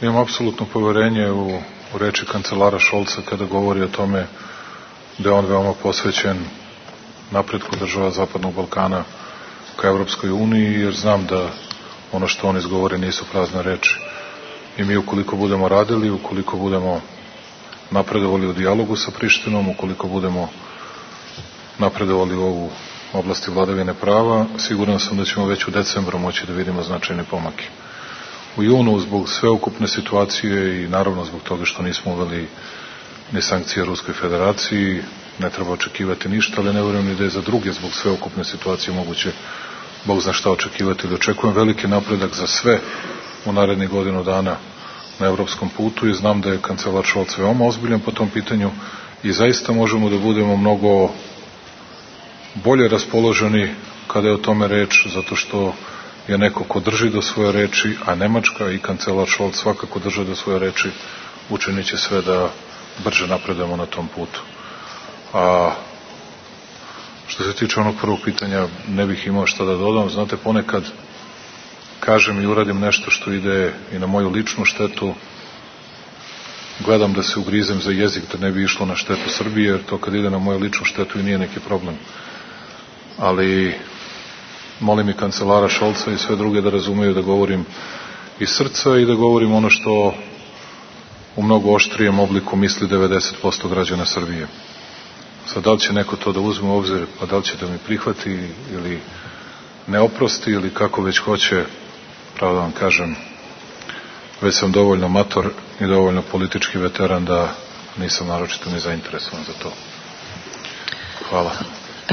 Imam apsolutno poverenje u reči kancelara Šolca kada govori o tome da je on veoma posvećen napretku država Zapadnog Balkana ka Evropskoj uniji, jer znam da ono što on izgovori nisu prazne reči. I mi ukoliko budemo radili, ukoliko budemo napredovali u dijalogu sa Prištinom, ukoliko budemo napredovali u ovu oblasti vladavine prava, siguran sam da ćemo već u decembru moći da vidimo značajne pomake. U junu, zbog sveukupne situacije i naravno zbog toga što nismo uveli ni sankcije Ruskoj federaciji, ne treba očekivati ništa, ali ne vjerujem ni da je za druge zbog sveukupne situacije moguće Bog zna šta očekivati. Da očekujem veliki napredak za sve u narednih godinu dana na evropskom putu i znam da je kancelar Šolc veoma ozbiljan po tom pitanju i zaista možemo da budemo mnogo bolje raspoloženi kada je o tome reč, zato što je neko ko drži do svoje reči, a Nemačka i kancelar Šolc svakako drže do svoje reči, učinit će sve da brže napredujemo na tom putu. A što se tiče onog prvog pitanja, ne bih imao šta da dodam. Znate, ponekad kažem i uradim nešto što ide i na moju ličnu štetu, gledam da se ugrizem za jezik da ne bi išlo na štetu Srbije, jer to kad ide na moju ličnu štetu i nije neki problem. Ali molim i kancelara Šolca i sve druge da razumeju da govorim iz srca i da govorim ono što u mnogo oštrijem obliku misli 90% građana Srbije. Sad, da li će neko to da uzme u obzir, pa da li će da mi prihvati ili ne oprosti ili kako već hoće, pravo da vam kažem, već sam dovoljno mator i dovoljno politički veteran da nisam naročito ni zainteresovan za to. Hvala.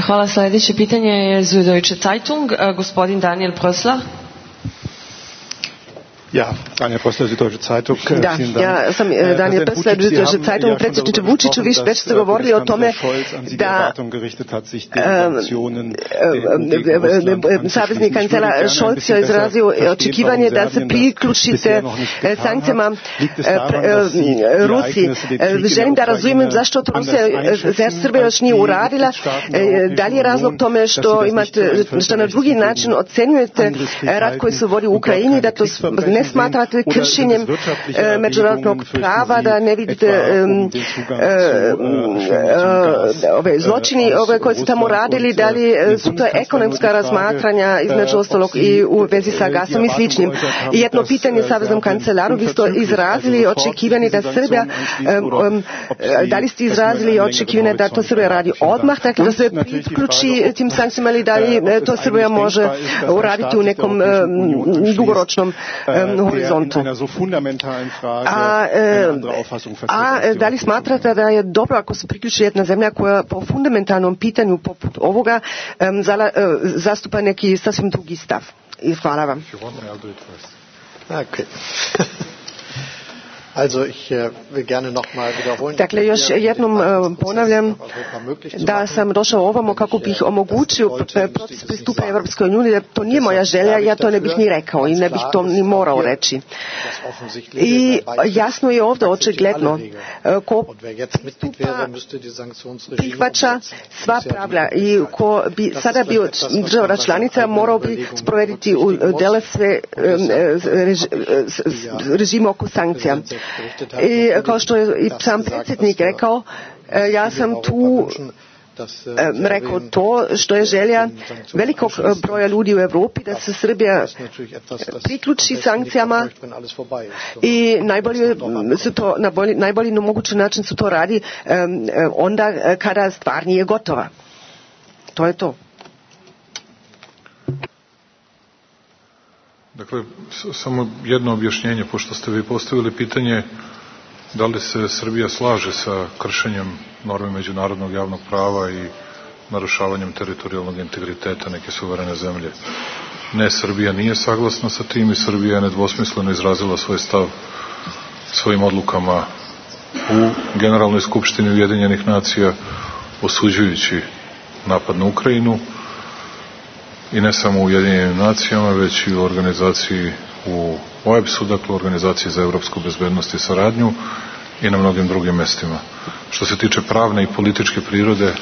Hvala. Sljedeće pitanje je Süddeutsche Zeitung, gospodin Daniel Prössler. Ja, Daniel Prössler, Süddeutsche Zeitung. Da, ja sam Daniel Prössler, Süddeutsche Zeitung. Predsjedniče Vučiću, vi već ste govorili o tome da savezni kancelar Scholz je izrazio očekivanje da se priključite sankcijama Rusiji. Želim da razumijem zašto to Srbija još nije uradila. Da li je razlog tome što imate, što na drugi način ocenjujete rad koji se vodi u Ukrajini, da to ne ne smatrate kršenjem međunarodnog prava, da ne vidite ove zločini koje su tamo radili, da li su to ekonomska razmatranja između ostalog i u vezi sa gasom i sličnim. I jedno pitanje saveznom kancelaru, vi ste izrazili očekivanje da Srbija, da li ste izrazili očekivanje da to Srbija radi odmah, dakle da se priključi tim sankcijama ili da li to Srbija može uraditi u nekom dugoročnom horizontu. A da li smatrate da je dobro ako se priključi jedna zemlja koja po fundamentalnom pitanju poput ovoga zastupa neki sasvim drugi stav? I hvala vam. Okay. Also ich will gerne noch mal wiederholen. Dakle, još jednom ponavljam da sam došao ovamo kako bih omogućio proces pristupa Evropskoj uniji, da to nije moja želja, ja to ne bih ni rekao i ne bih to ni morao reći. I jasno je ovdje očigledno ko pristupa prihvaća sva pravila i ko bi sada bio država članica morao bi sprovediti u dele sve režime oko sankcija. I kao što je i sam predsjednik rekao, ja sam tu rekao to što je želja velikog broja ljudi u Europi da se Srbija priključi sankcijama i najbolji mogući način se to radi onda kada stvar nije gotova. To je to. Dakle, samo jedno objašnjenje, pošto ste vi postavili pitanje da li se Srbija slaže sa kršenjem norme međunarodnog javnog prava i narušavanjem teritorijalnog integriteta neke suverene zemlje. Ne, Srbija nije saglasna sa tim i Srbija je nedvosmisleno izrazila svoj stav svojim odlukama u Generalnoj skupštini Ujedinjenih nacija, osuđujući napad na Ukrajinu, i ne samo u Ujedinjenim nacijama, već i u organizaciji u OEBS-u, dakle Organizaciji za evropsku bezbednost i saradnju, i na mnogim drugim mestima. Što se tiče pravne i političke prirode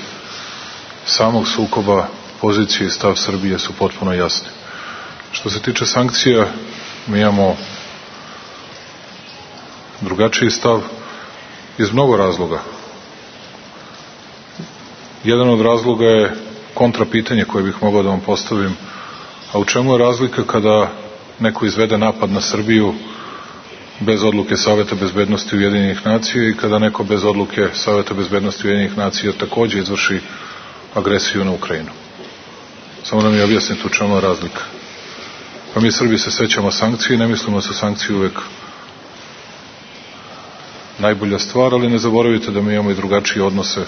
samog sukoba, pozicije i stav Srbije su potpuno jasni. Što se tiče sankcija, mi imamo drugačiji stav iz mnogo razloga. Jedan od razloga je kontrapitanje koje bih mogao da vam postavim, a u čemu je razlika kada neko izvede napad na Srbiju bez odluke Saveta bezbednosti Ujedinjenih nacija i kada neko bez odluke Saveta bezbednosti Ujedinjenih nacija takođe izvrši agresiju na Ukrajinu? Samo da mi objasnite u čemu je razlika. Pa mi Srbi se sećamo sankcije i ne mislimo da su sankcije uvek najbolja stvar, ali ne zaboravite da mi imamo i drugačije odnose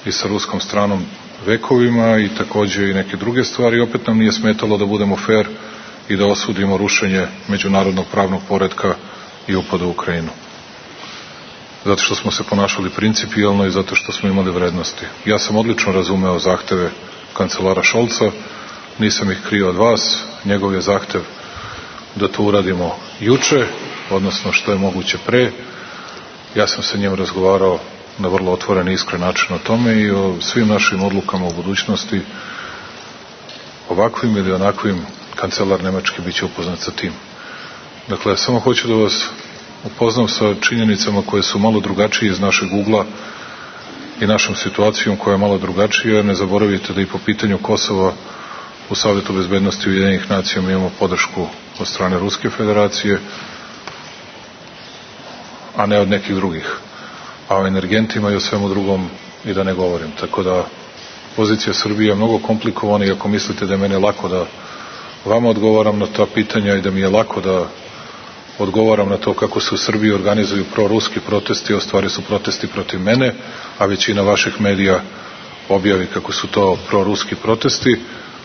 i sa ruskom stranom vekovima i takođe i neke druge stvari. Opet nam nije smetalo da budemo fair i da osudimo rušenje međunarodnog pravnog poretka i upad u Ukrajinu. Zato što smo se ponašali principijelno i zato što smo imali vrednosti. Ja sam odlično razumeo zahteve kancelara Šolca, nisam ih krio od vas, njegov je zahtev da to uradimo juče, odnosno što je moguće pre. Ja sam sa njim razgovarao na vrlo otvoren i iskren način o tome i o svim našim odlukama u budućnosti, ovakvim ili onakvim, kancelar Nemački biće upoznat sa tim. Dakle, samo hoću da vas upoznam sa činjenicama koje su malo drugačije iz našeg ugla i našom situacijom koja je malo drugačija. Ne zaboravite da i po pitanju Kosova u Savetu bezbednosti Ujedinjenih nacija mi imamo podršku od strane Ruske federacije, a ne od nekih drugih. A o energentima i o svemu drugom i da ne govorim. Tako da pozicija Srbije je mnogo komplikovana i ako mislite da je meni lako da vama odgovaram na ta pitanja i da mi je lako da odgovaram na to kako se u Srbiji organizuju proruski protesti, a u stvari su protesti protiv mene, a većina vaših medija objavi kako su to proruski protesti,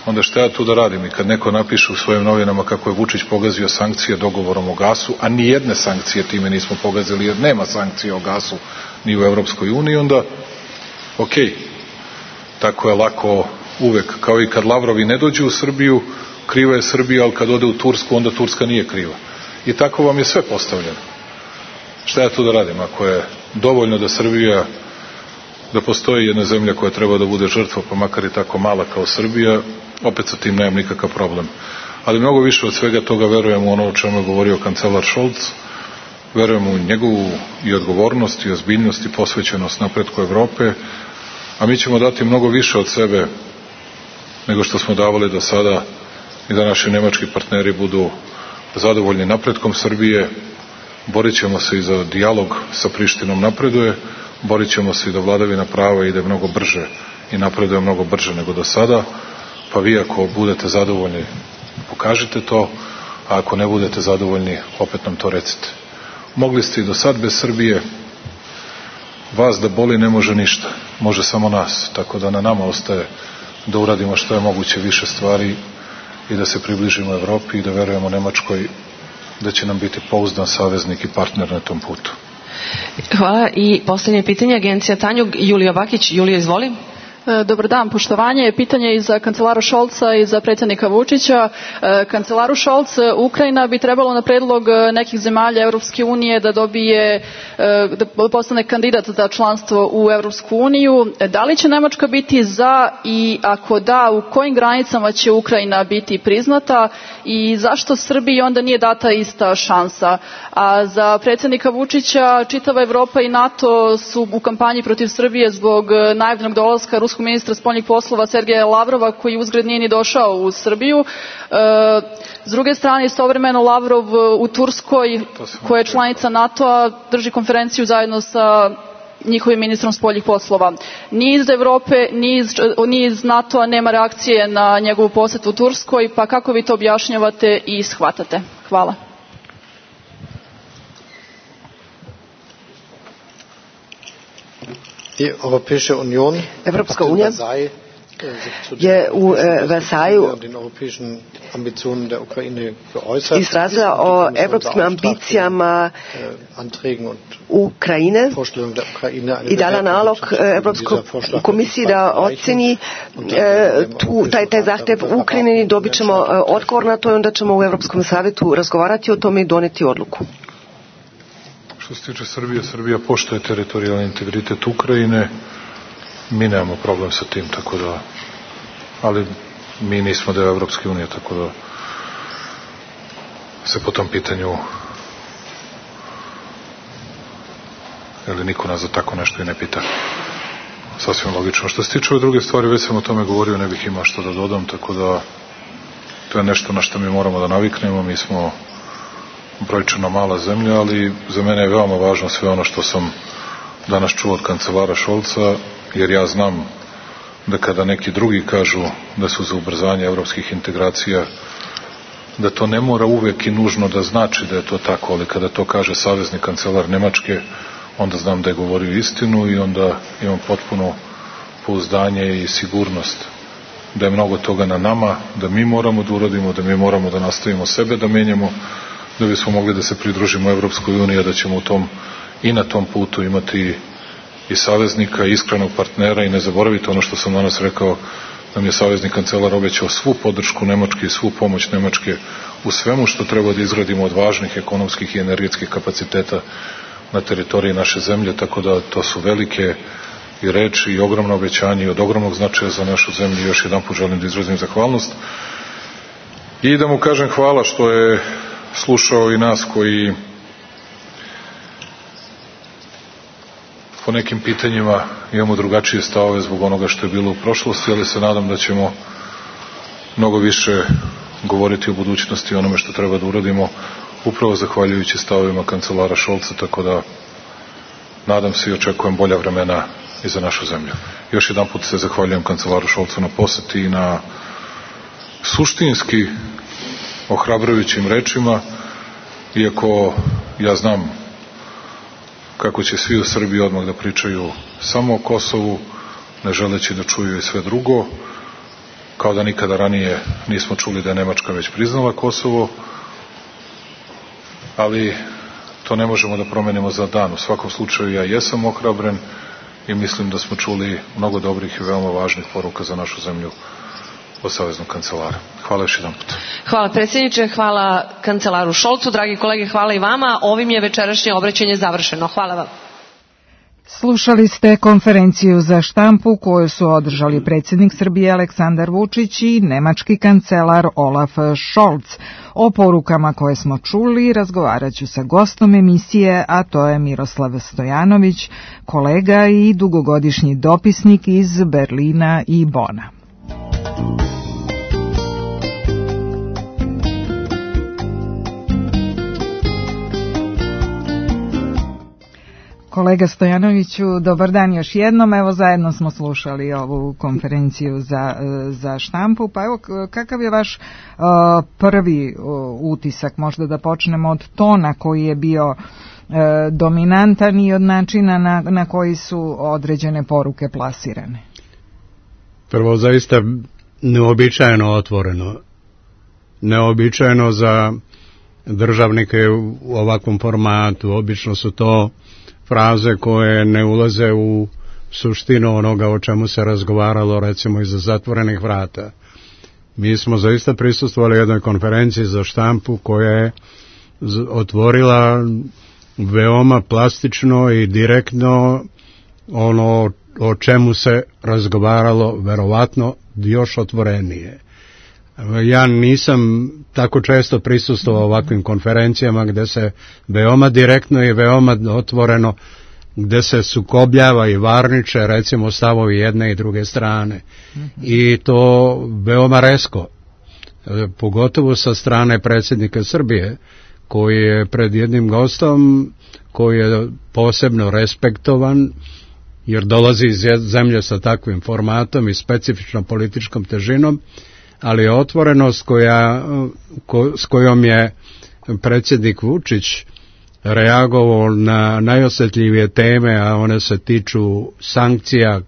onda šta ja tu da radim? I kad neko napiše u svojim novinama kako je Vučić pogazio sankcije dogovorom o gasu, a ni jedne sankcije time nismo pogazili jer nema sankcije o gasu ni u Evropskoj uniji, onda okej, tako je lako uvek, kao i kad Lavrovi ne dođu u Srbiju, kriva je Srbija, ali kad ode u Tursku, onda Turska nije kriva. I tako vam je sve postavljeno. Šta ja tu da radim? Ako je dovoljno da Srbija, da postoji jedna zemlja koja treba da bude žrtva, pa makar i tako mala kao Srbija, opet sa tim nemam nikakav problem. ali mnogo više od svega toga verujem u ono o čemu je govorio kancelar Scholz, verujem u njegovu i odgovornost i ozbiljnost i posvećenost napretku Evrope, a mi ćemo dati mnogo više od sebe nego što smo davali do sada i da naši nemački partneri budu zadovoljni napretkom Srbije. Borit ćemo se i za dijalog sa Prištinom napreduje, borit ćemo se i da vladavina prava ide mnogo brže i napreduje mnogo brže nego do sada, pa vi ako budete zadovoljni pokažite to, a ako ne budete zadovoljni opet nam to recite. Mogli ste i do sad bez Srbije, vas da boli ne može ništa, može samo nas, tako da na nama ostaje da uradimo što je moguće više stvari i da se približimo Evropi i da verujemo Nemačkoj da će nam biti pouzdan saveznik i partner na tom putu. Hvala. I posljednje pitanje, agencija Tanjug, Julija Bakić. Julija, izvoli. Dobar dan, poštovanje. Pitanje i za kancelara Šolca i za predsjednika Vučića. Kancelaru Šolc, Ukrajina bi trebalo na predlog nekih zemalja Europske unije da dobije, da postane kandidat za članstvo u Europsku uniju. Da li će Nemačka biti za i ako da, u kojim granicama će Ukrajina biti priznata i zašto Srbiji onda nije data ista šansa? A za predsjednika Vučića čitava Evropa i NATO su u kampanji protiv Srbije zbog najavljenog dolaska ruskog ministra spoljnih poslova Sergeja Lavrova, koji uzgred nije ni došao u Srbiju. S druge strane, istovremeno Lavrov u Turskoj, koja je članica NATO-a, drži konferenciju zajedno sa njihovim ministrom spoljnih poslova. Ni iz Evrope, ni iz NATO-a nema reakcije na njegovu posetu u Turskoj, pa kako vi to objašnjavate i shvatate? Hvala. Evropska unija je u Versaillesu izrazila o evropskim ambicijama Ukrajine i dala nalog Evropskoj komisiji da oceni taj zahtjev u Ukrajini. Dobit ćemo odgovor na to i onda ćemo u Evropskom savjetu razgovarati o tome i doneti odluku. Što se tiče Srbije, Srbija poštuje teritorijalni integritet Ukrajine. Mi nemamo problem sa tim, tako da, ali mi nismo deo Evropske unije, tako da se po tom pitanju ili niko nas za tako nešto i ne pita. Sasvim logično. Što se tiče ove druge stvari, već sam o tome govorio, ne bih imao što da dodam, tako da to je nešto na što mi moramo da naviknemo. Mi smo brojčano mala zemlja, ali za mene je veoma važno sve ono što sam danas čuo od kancelara Šolca, jer ja znam da kada neki drugi kažu da su za ubrzanje evropskih integracija, da to ne mora uvek i nužno da znači da je to tako, ali kada to kaže savezni kancelar Nemačke, onda znam da je govorio istinu i onda imam potpuno pouzdanje i sigurnost da je mnogo toga na nama, da mi moramo da uradimo, da mi moramo da nastavimo sebe da menjamo, da bismo mogli da se pridružimo Evropskoj uniji, a da ćemo u tom i na tom putu imati i saveznika, i iskrenog partnera. I ne zaboravite ono što sam danas rekao, nam je savezni kancelar obećao svu podršku Nemačke i svu pomoć Nemačke u svemu što treba da izgradimo od važnih ekonomskih i energetskih kapaciteta na teritoriji naše zemlje, tako da to su velike i reči i ogromno obećanje i od ogromnog značaja za našu zemlju. Još jedan put želim da izrazim zahvalnost i da mu kažem hvala što je slušao i nas koji po nekim pitanjima imamo drugačije stavove zbog onoga što je bilo u prošlosti, ali se nadam da ćemo mnogo više govoriti o budućnosti i onome što treba da uradimo, upravo zahvaljujući stavovima kancelara Šolca, tako da nadam se i očekujem bolja vremena i za našu zemlju. Još jedan put se zahvaljujem kancelaru Šolcu na poseti i na suštinski ohrabrujućim rečima, iako ja znam kako će svi u Srbiji odmah da pričaju samo o Kosovu, ne želeći da čuju i sve drugo, kao da nikada ranije nismo čuli da je Nemačka već priznala Kosovo, ali to ne možemo da promenimo za dan. U svakom slučaju ja jesam ohrabren i mislim da smo čuli mnogo dobrih i veoma važnih poruka za našu zemlju od saveznog kancelara. Hvala još jedan put. Hvala predsjedniče, hvala kancelaru Šolcu, dragi kolege, hvala i vama. Ovim je večerašnje obraćanje završeno. Hvala vam. Slušali ste konferenciju za štampu koju su održali predsjednik Srbije Aleksandar Vučić i nemački kancelar Olaf Scholz. O porukama koje smo čuli razgovarat ću sa gostom emisije, a to je Miroslav Stojanović, kolega i dugogodišnji dopisnik iz Berlina i Bona. Kolega Stojanoviću, dobar dan još jednom. Evo, zajedno smo slušali ovu konferenciju za štampu. Pa evo, kakav je vaš prvi utisak? Možda da počnemo od tona koji je bio dominantan i od načina na koji su određene poruke plasirane. Prvo, zaista neobičajeno otvoreno. Neobičajeno za državnike u ovakvom formatu. Obično su to fraze koje ne ulaze u suštinu onoga o čemu se razgovaralo, recimo iza zatvorenih vrata. Mi smo zaista prisustvovali jednoj konferenciji za štampu koja je otvorila veoma plastično i direktno ono o čemu se razgovaralo, verovatno još otvorenije. Ja nisam tako često prisustvovao ovakvim konferencijama gde se veoma direktno i veoma otvoreno, gde se sukobljava i varniče, recimo, stavovi jedne i druge strane. I to veoma rezko, pogotovo sa strane predsjednika Srbije, koji je pred jednim gostom koji je posebno respektovan, jer dolazi iz zemlje sa takvim formatom i specifičnom političkom težinom, ali otvorenost s kojom je predsjednik Vučić reagovao na najosjetljivije teme, a one se tiču sankcija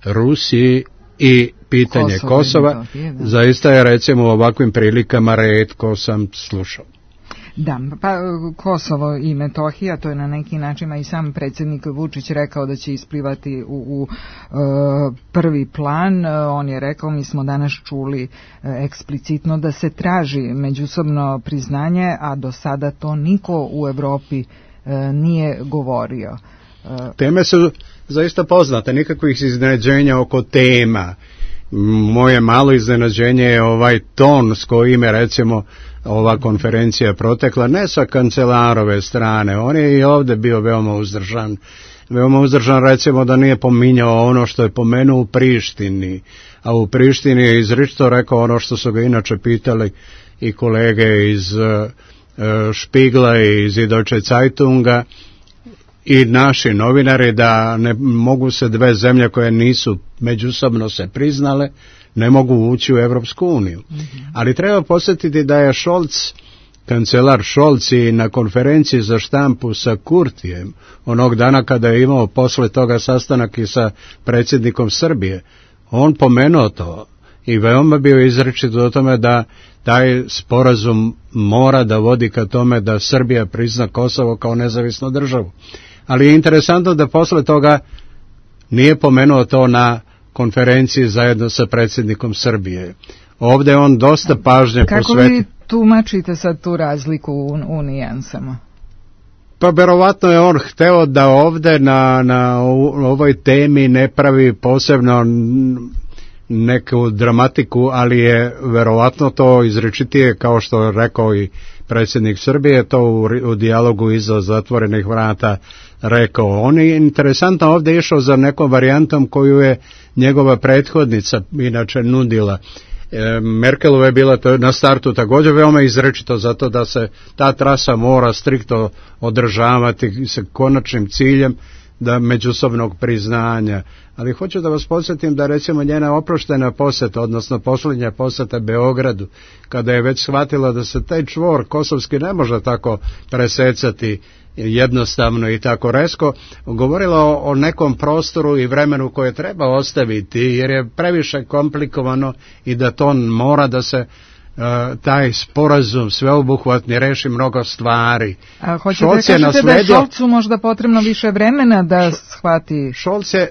Rusiji i pitanje Kosova, zaista je, recimo, u ovakvim prilikama retko sam slušao. Da, pa Kosovo i Metohija, to je na neki način i sam predsjednik Vučić rekao da će isplivati u prvi plan. On je rekao, mi smo danas čuli eksplicitno da se traži međusobno priznanje, a do sada to niko u Evropi nije govorio. Teme su zaista poznate, nikakvih iznenađenja oko tema. Moje malo iznenađenje je ovaj ton s kojim je, recimo, ova konferencija protekla, ne sa kancelarove strane. On je i ovdje bio veoma uzdržan. Veoma uzdržan, recimo, da nije pominjao ono što je pomenuo u Prištini. A u Prištini je izričito rekao ono što su ga inače pitali i kolege iz Špigla i iz Deutsche Zeitunga i naši novinari, da ne mogu se dve zemlje koje nisu međusobno se priznale, ne mogu ući u Evropsku uniju. Ali treba podsjetiti da je kancelar Scholz i na konferenciji za štampu sa Kurtijem, onog dana kada je imao posle toga sastanak i sa predsjednikom Srbije, on pomenuo to i veoma bio izričit o tome da taj sporazum mora da vodi ka tome da Srbija prizna Kosovo kao nezavisnu državu. Ali je interesantno da posle toga nije pomenuo to na konferenciji zajedno sa predsjednikom Srbije. Ovdje on dosta pažnje posveti. Kako vi tumačite sad tu razliku u nijansama? Pa verovatno je on hteo da ovdje na ovoj temi ne pravi posebno neku dramatiku, ali je verovatno to izričitije, kao što je rekao i predsjednik Srbije, to u dijalogu iza zatvorenih vrata rekao. On je interesantno ovdje išao za nekom varijantom koju je njegova prethodnica inače nudila. Merkelova je bila na startu također veoma izrečito zato da se ta trasa mora striktno održavati sa konačnim ciljem da međusobnog priznanja. Ali hoću da vas podsjetim da, recimo, njena oproštena posjeta, odnosno posljednja posjeta Beogradu, kada je već shvatila da se taj čvor kosovski ne može tako presecati jednostavno i tako rezko, govorila o nekom prostoru i vremenu koje treba ostaviti, jer je previše komplikovano i da to mora da se taj sporazum sveobuhvatni reši mnogo stvari. A hoćete da kažete da je Šolcu možda potrebno više vremena da shvati?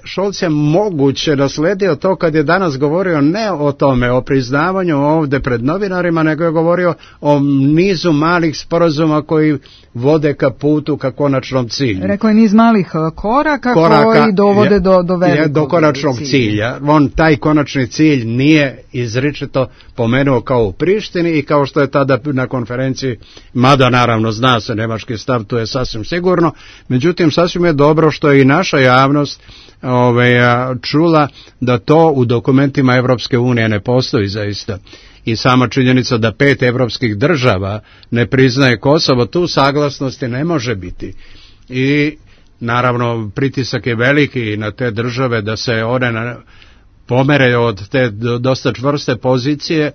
Šolc je moguće nasledio to kad je danas govorio ne o tome, o priznavanju ovde pred novinarima, nego je govorio o nizu malih sporazuma koji vode ka putu, ka konačnom cilju. Rekao je niz malih koraka koji dovode do velikog do konačnog cilja. Taj konačni cilj nije izričito pomenuo kao u Prištini i kao što je tada na konferenciji, mada naravno zna se nemački stav, to je sasvim sigurno, međutim sasvim je dobro što je i naša javnost čula da to u dokumentima Evropske unije ne postoji zaista. I sama činjenica da 5 evropskih država ne priznaje Kosovo, tu saglasnosti ne može biti. I naravno pritisak je veliki na te države da se one pomere od te dosta čvrste pozicije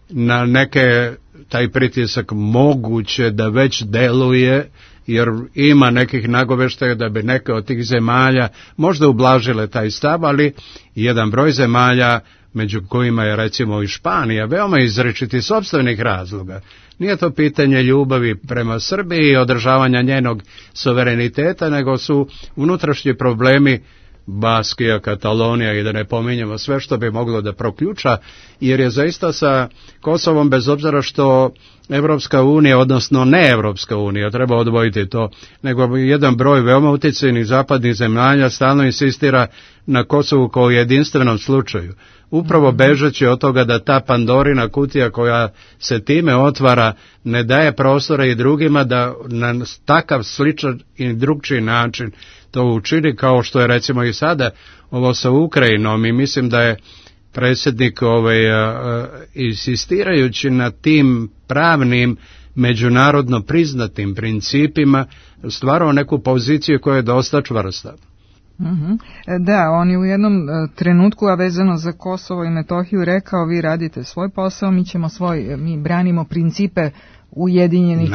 na neke, taj pritisak moguće da već deluje, jer ima nekih nagoveštaja da bi neke od tih zemalja možda ublažile taj stav, ali jedan broj zemalja, među kojima je recimo i Španija, veoma izričiti sopstvenih razloga. Nije to pitanje ljubavi prema Srbiji i održavanja njenog suvereniteta, nego su unutrašnji problemi Baskija, Katalonija i da ne pominjemo sve što bi moglo da proključa, jer je zaista sa Kosovom, bez obzira što Evropska unija, odnosno ne Evropska unija, treba odvojiti to, nego jedan broj veoma utjecajnih zapadnih zemalja stalno insistira na Kosovu kao jedinstvenom slučaju. Upravo bežeći od toga da ta Pandorina kutija koja se time otvara ne daje prostora i drugima da na takav sličan i drugčiji način to učini, kao što je recimo i sada ovo sa Ukrajinom, i mislim da je predsjednik insistirajući na tim pravnim međunarodno priznatim principima stvarao neku poziciju koja je dosta čvrsta. Da, on je u jednom trenutku, a vezano za Kosovo i Metohiju, rekao: vi radite svoj posao, mi branimo principe Ujedinjenih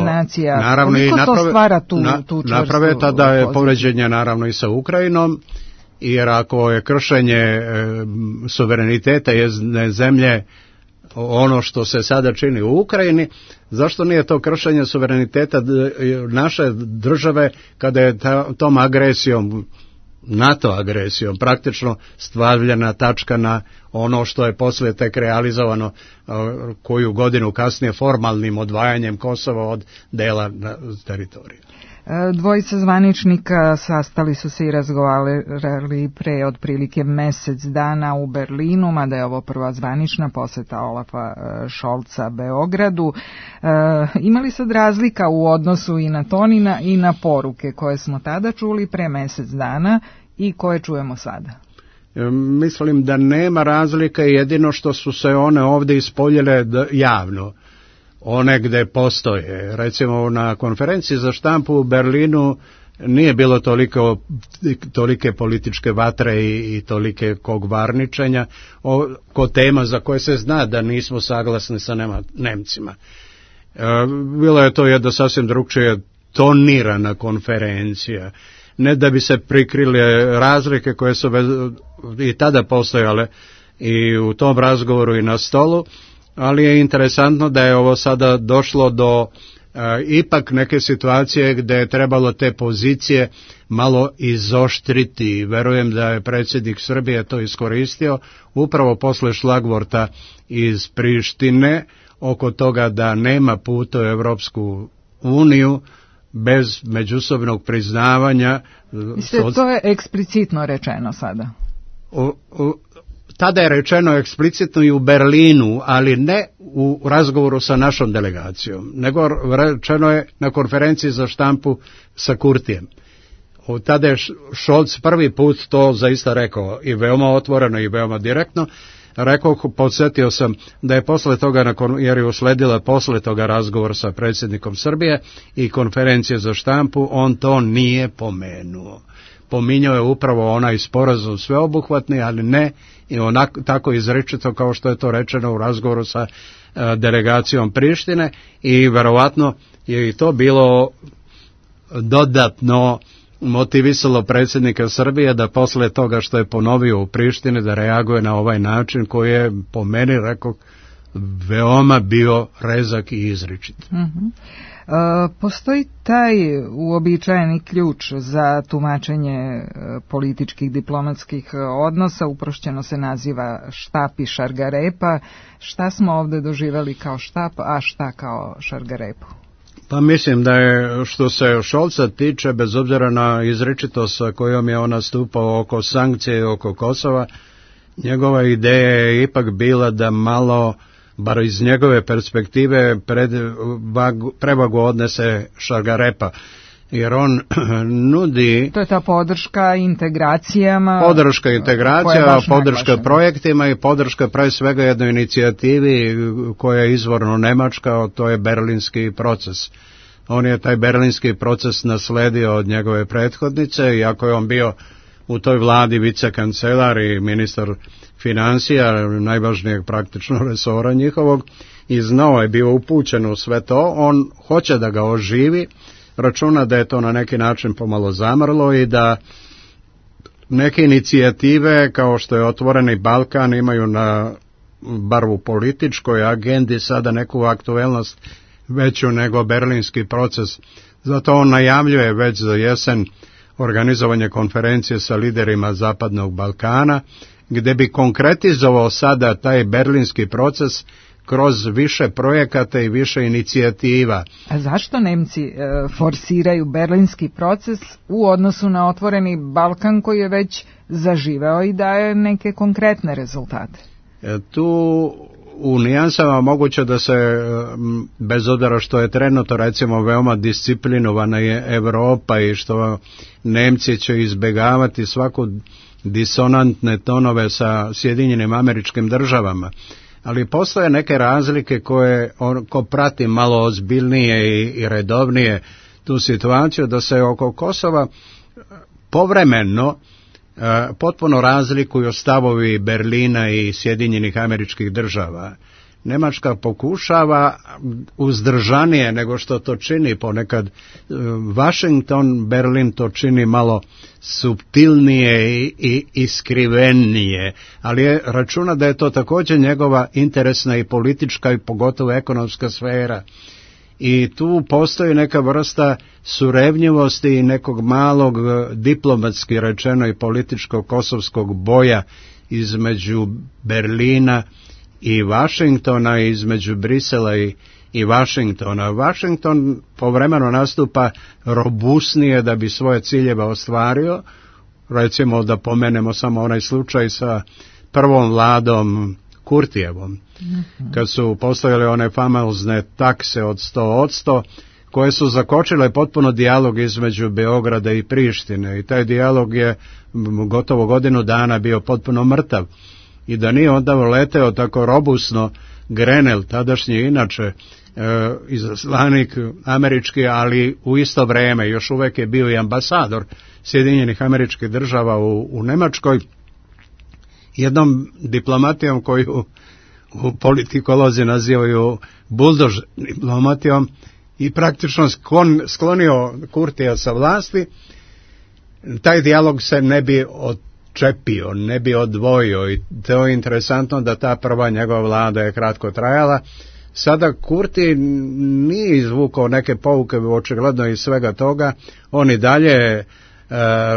nacija. Naravno, koliko to stvara tu čvrstu naprave tada je povređenje naravno i sa Ukrajinom, jer ako je kršenje suvereniteta jedne zemlje ono što se sada čini u Ukrajini, zašto nije to kršenje suvereniteta naše države kada je tom agresijom, NATO agresijom, praktično stavljena tačka na ono što je poslije tek realizovano koju godinu kasnije formalnim odvajanjem Kosova od dela teritorija. Dvojica zvaničnika sastali su se i razgovarali pre otprilike mesec dana u Berlinu, mada je ovo prva zvanična poseta Olafa Šolca Beogradu. Imali sad razlika u odnosu i na tonina i na poruke koje smo tada čuli pre mesec dana i koje čujemo sada? Mislim da nema razlika, jedino što su se one ovdje ispoljile javno. One gde postoje. Recimo na konferenciji za štampu u Berlinu nije bilo tolike političke vatre i tolike varničenja oko tema za koje se zna da nismo saglasni sa Nemcima. Bilo je to jedna sasvim drugčije tonirana konferencija. Ne da bi se prikrile razlike koje su i tada postojale i u tom razgovoru i na stolu, ali je interesantno da je ovo sada došlo do ipak neke situacije gde je trebalo te pozicije malo izoštriti. Verujem da je predsjednik Srbije to iskoristio upravo posle šlagvorta iz Prištine oko toga da nema puta u Evropsku uniju bez međusobnog priznavanja. To je eksplicitno rečeno sada. Tada je rečeno eksplicitno i u Berlinu, ali ne u razgovoru sa našom delegacijom, nego rečeno je na konferenciji za štampu sa Kurtijem. Tada je Šolc prvi put to zaista rekao i veoma otvoreno i veoma direktno. Rekao, podsjetio sam da je posle toga, jer je usledila posle toga razgovor sa predsjednikom Srbije i konferencije za štampu, on to nije pomenuo. Pominjao je upravo onaj sporazum sveobuhvatni, ali ne i onako tako izrečito kao što je to rečeno u razgovoru sa delegacijom Prištine, i verovatno je i to bilo dodatno motivisalo predsjednika Srbije da posle toga što je ponovio u Prištini da reaguje na ovaj način koji je po meni, rekao, veoma bio rezak i izričit. Postoji taj uobičajeni ključ za tumačenje političkih diplomatskih odnosa, uprošćeno se naziva štap i šargarepa. Šta smo ovde doživeli kao štap, a šta kao šargarepu? Pa mislim da je, što se Scholza tiče, bez obzira na izričitost sa kojom je on nastupao oko sankcije i oko Kosova, njegova ideja je ipak bila da malo, bar iz njegove perspektive, prevagu odnese šargarepa. Jer on nudi... To je ta podrška integracijama... Podrška integracija, podrška projektima i podrška pre svega jednoj inicijativi koja je izvorno nemačka, to je berlinski proces. On je taj berlinski proces nasledio od njegove prethodnice, iako je on bio u toj vladi vicekancelar i ministar financija, najvažnijeg praktično resora njihovog, i znao je, bio upućen u sve to. On hoće da ga oživi, računa da je to na neki način pomalo zamrlo i da neke inicijative kao što je Otvoreni Balkan imaju na bar u političkoj agendi sada neku aktuelnost veću nego berlinski proces. Zato on najavljuje već za jesen organizovanje konferencije sa liderima Zapadnog Balkana, gde bi konkretizovao sada taj berlinski proces kroz više projekata i više inicijativa. A zašto Nemci forsiraju berlinski proces u odnosu na Otvoreni Balkan koji je već zaživeo i daje neke konkretne rezultate? Tu u nijansama moguće da se, bez obzira što je trenutno recimo veoma disciplinovana je Evropa i što Nemci će izbjegavati svaku disonantne tonove sa Sjedinjenim Američkim Državama, ali postoje neke razlike koje ko prati malo ozbiljnije i redovnije tu situaciju, da se oko Kosova povremeno potpuno razlikuju stavovi Berlina i Sjedinjenih Američkih Država. Nemačka pokušava uzdržanije nego što to čini ponekad Washington, Berlin to čini malo suptilnije i iskrivenije, ali je računa da je to također njegova interesna i politička i pogotovo ekonomska sfera. I tu postoji neka vrsta surevnjivosti i nekog malog diplomatski rečeno i političkog kosovskog boja između Berlina i Washingtona, između Brisela i Washingtona. Washington povremeno nastupa robusnije da bi svoje ciljeve ostvario. Recimo da pomenemo samo onaj slučaj sa prvom vladom Kurtijevom, kad su postavili one famozne takse od 100%, koje su zakočile potpuno dijalog između Beograda i Prištine, i taj dijalog je gotovo godinu dana bio potpuno mrtav. I da nije onda leteo tako robusno Grenell, tadašnji inače izaslanik američki, ali u isto vrijeme još uvijek je bio i ambasador Sjedinjenih Američkih Država u Nemačkoj, jednom diplomatijom koju u politikolozi nazivaju buldož diplomatijom, i praktično sklonio Kurtija sa vlasti, taj dijalog se ne bi odčepio, ne bi odvojio, i to je interesantno da ta prva njegova vlada je kratko trajala. Sada Kurti nije izvukao neke pouke očigledno iz svega toga, on i dalje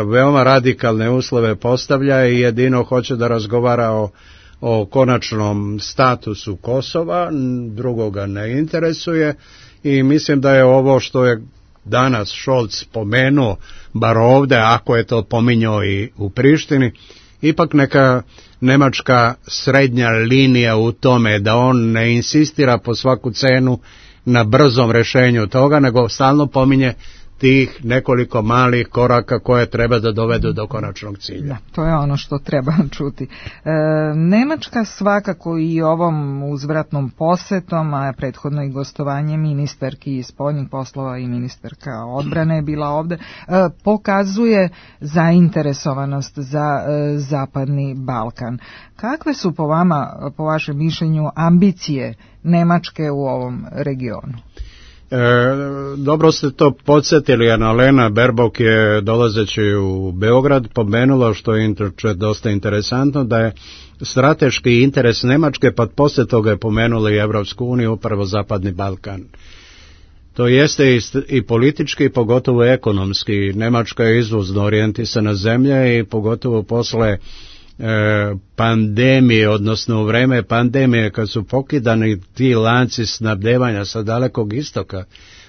veoma radikalne uslove postavlja i jedino hoće da razgovara o konačnom statusu Kosova, drugoga ne interesuje, i mislim da je ovo što je danas Scholz spomenuo, bar ovde, ako je to pominjao i u Prištini, ipak neka nemačka srednja linija u tome da on ne insistira po svaku cenu na brzom rešenju toga, nego stalno pominje tih nekoliko malih koraka koje treba da dovedu do konačnog cilja. Da, to je ono što treba čuti. Nemačka svakako i ovom uzvratnom posetom, a prethodno i gostovanje ministarki spoljnih poslova i ministarka odbrane je bila ovde, pokazuje zainteresovanost za Zapadni Balkan. Kakve su po vama, po vašem mišljenju, ambicije Nemačke u ovom regionu? Dobro ste to podsjetili, Annalena Baerbock je dolazeći u Beograd pomenula, što je dosta interesantno, da je strateški interes Nemačke, pa poslije toga je pomenula i Evropsku uniju, upravo Zapadni Balkan. To jeste i politički i pogotovo ekonomski. Nemačka je izvozno orijentisana zemlja i pogotovo posle pandemije, odnosno u vreme pandemije kad su pokidani ti lanci snabdevanja sa Dalekog istoka,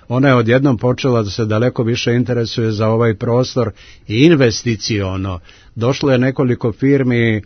ona je odjednom počela da se daleko više interesuje za ovaj prostor i investiciono. Došlo je nekoliko firmi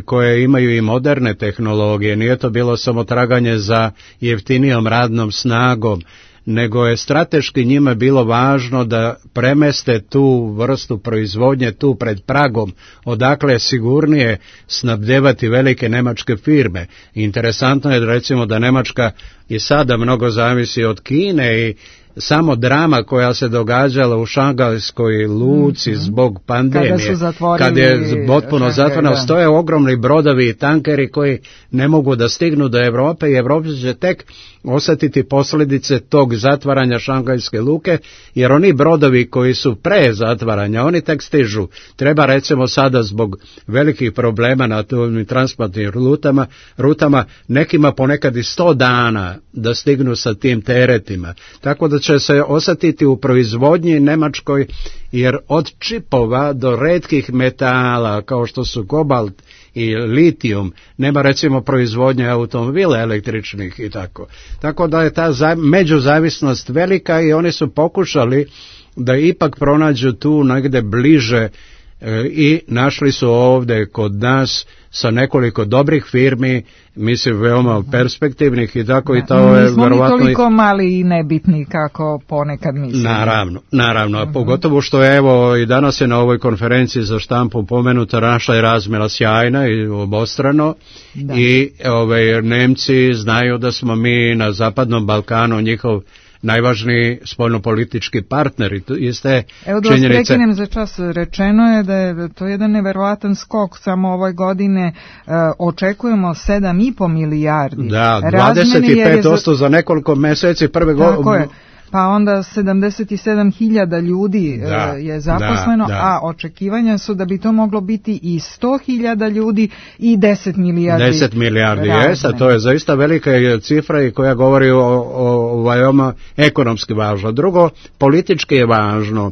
koje imaju i moderne tehnologije, nije to bilo samo traganje za jeftinijom radnom snagom, nego je strateški njima bilo važno da premeste tu vrstu proizvodnje tu pred pragom, odakle je sigurnije snabdevati velike nemačke firme. Interesantno je recimo da Nemačka i sada mnogo zavisi od Kine i samo drama koja se događala u Šangajskoj luci zbog pandemije, kad je potpuno zatvoreno, stoje ogromni brodovi i tankeri koji ne mogu da stignu do Europe i Evropa će tek osjetiti posljedice tog zatvaranja Šangajske luke, jer oni brodovi koji su pre zatvaranja, oni tek stižu. Treba recimo sada zbog velikih problema na tim transportnim rutama, nekima ponekad i 100 dana da stignu sa tim teretima. Tako da će se osjetiti u proizvodnji Nemačkoj, jer od čipova do retkih metala kao što su kobalt i litijum nema recimo proizvodnje automobila električnih i tako. Tako da je ta međuzavisnost velika i oni su pokušali da ipak pronađu tu negde bliže i našli su ovdje kod nas sa nekoliko dobrih firmi, mislim veoma perspektivnih i tako i to je nismo verovatno mi toliko mali i nebitni kako ponekad mislimo. Naravno, a pogotovo što je evo i danas je na ovoj konferenciji za štampu pomenuta naša je razmjena sjajna i obostrano i Nemci znaju da smo mi na Zapadnom Balkanu njihov najvažniji spoljnopolitički partneri. Evo da vas prekinem za čas, rečeno je da je to jedan neverovatan skok, samo ove godine očekujemo 7,5 milijardi. Da, 25% za nekoliko meseci prve godine. Pa onda 77.000 ljudi je zaposleno, a očekivanja su da bi to moglo biti i 100.000 ljudi i 10 milijardi. 10 milijardi, jeste, to je zaista velika cifra i koja govori o veoma ekonomski važno. Drugo, politički je važno.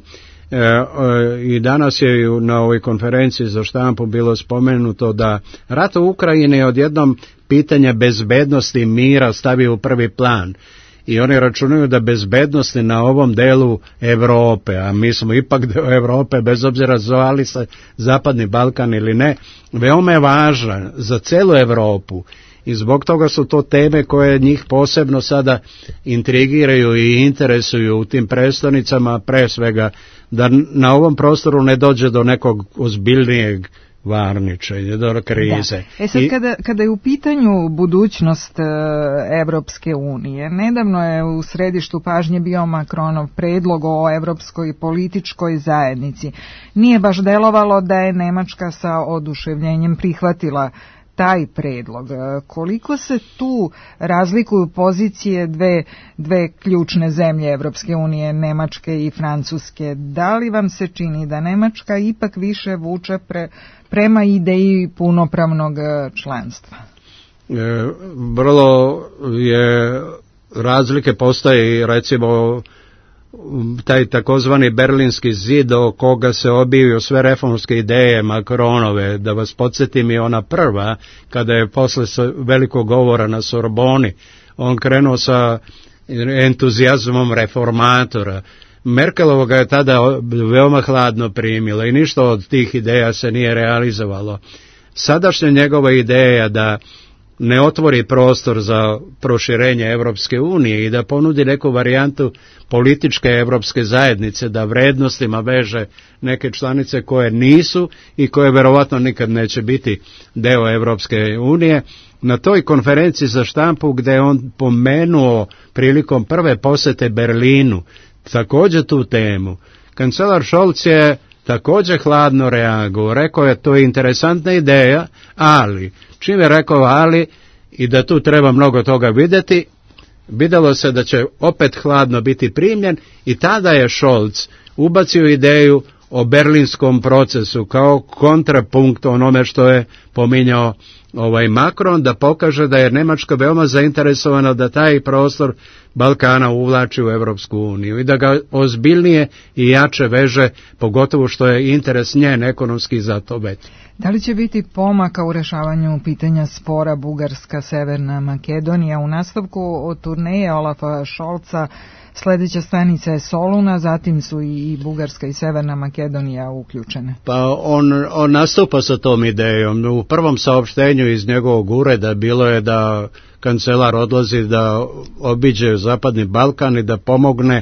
I danas je na ovoj konferenciji za štampu bilo spomenuto da rat u Ukrajini odjednom pitanje bezbednosti i mira stavi u prvi plan. I oni računaju da bezbednosti na ovom delu Europe, a mi smo ipak deo Europe, bez obzira zvali se Zapadni Balkan ili ne, veoma je važan za celu Europu i zbog toga su to teme koje njih posebno sada intrigiraju i interesuju u tim prestonicama, pre svega da na ovom prostoru ne dođe do nekog ozbiljnijeg varničenje, do krize. Sad kada je u pitanju budućnost Evropske unije, nedavno je u središtu pažnje bio Macronov predlog o Evropskoj političkoj zajednici. Nije baš delovalo da je Nemačka sa oduševljenjem prihvatila taj predlog. Koliko se tu razlikuju pozicije dve ključne zemlje Evropske unije, Nemačke i Francuske? Da li vam se čini da Nemačka ipak više vuče prema ideji punopravnog članstva? Vrlo je razlike postoje i recimo taj takozvani Berlinski zid o koga se obiju sve reformske ideje Macronove, da vas podsjetim i ona prva, kada je posle velikog govora na Sorboni, on krenuo sa entuzijazmom reformatora. Merkelova ga je tada veoma hladno primila i ništa od tih ideja se nije realizovalo. Sadašnja njegova ideja da ne otvori prostor za proširenje Evropske unije i da ponudi neku varijantu političke Evropske zajednice, da vrednostima veže neke članice koje nisu i koje verovatno nikad neće biti deo Evropske unije. Na toj konferenciji za štampu gde je on pomenuo prilikom prve posete Berlinu također tu temu, kancelar Scholz je također hladno reagovao, rekao je to je interesantna ideja, ali čim je rekao ali i da tu treba mnogo toga vidjeti, vidjelo se da će opet hladno biti primljen i tada je Scholz ubacio ideju o berlinskom procesu kao kontrapunkt onome što je pominjao Macron, da pokaže da je Njemačka veoma zainteresovana da taj prostor Balkana uvlači u Europsku uniju i da ga ozbiljnije i jače veže, pogotovo što je interes njen ekonomski za to veći. Da li će biti pomaka u rešavanju pitanja spora Bugarska-Severna Makedonija? U nastavku od turneje Olafa Scholza sledeća stanica je Soluna, zatim su i Bugarska i Severna Makedonija uključene. Pa on nastupa sa tom idejom. U prvom saopštenju iz njegovog ureda bilo je da kancelar odlazi da obiđe Zapadni Balkan i da pomogne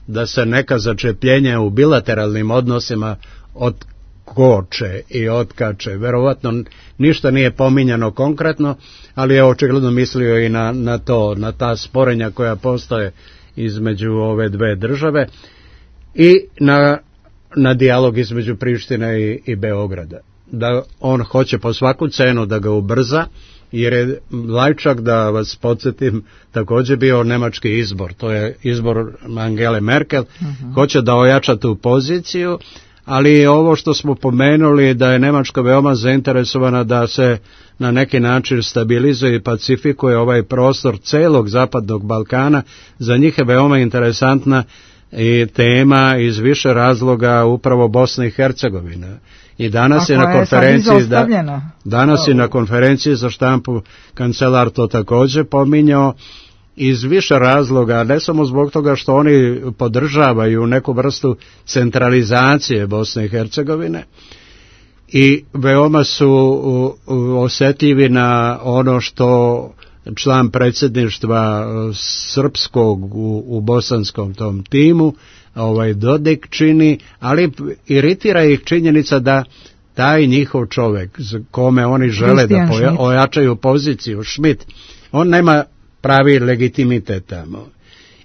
da se neka začepljenja u bilateralnim odnosima otkoče i otkače. Verovatno ništa nije pominjano konkretno, ali je očigledno mislio i na to, na ta sporenja koja postoje između ove dve države i na dijalog između Prištine i Beograda. Da on hoće po svaku cenu da ga ubrza, jer je Lajčak, da vas podsjetim, također bio nemački izbor. To je izbor Angele Merkel. Hoće da ojača tu poziciju, ali ovo što smo pomenuli da je Nemačka veoma zainteresovana da se na neki način stabilizuje i pacifikuje ovaj prostor celog Zapadnog Balkana, za njih je veoma interesantna i tema iz više razloga upravo Bosna i Hercegovina. I danas je na konferenciji za štampu kancelar to također pominjao iz više razloga, ne samo zbog toga što oni podržavaju neku vrstu centralizacije Bosne i Hercegovine i veoma su osjetljivi na ono što član predsjedništva srpskog u bosanskom tom timu, Dodik čini, ali iritira ih činjenica da taj njihov čovjek kome oni žele da ojačaju poziciju, Schmidt, on nema pravi legitimitet tamo.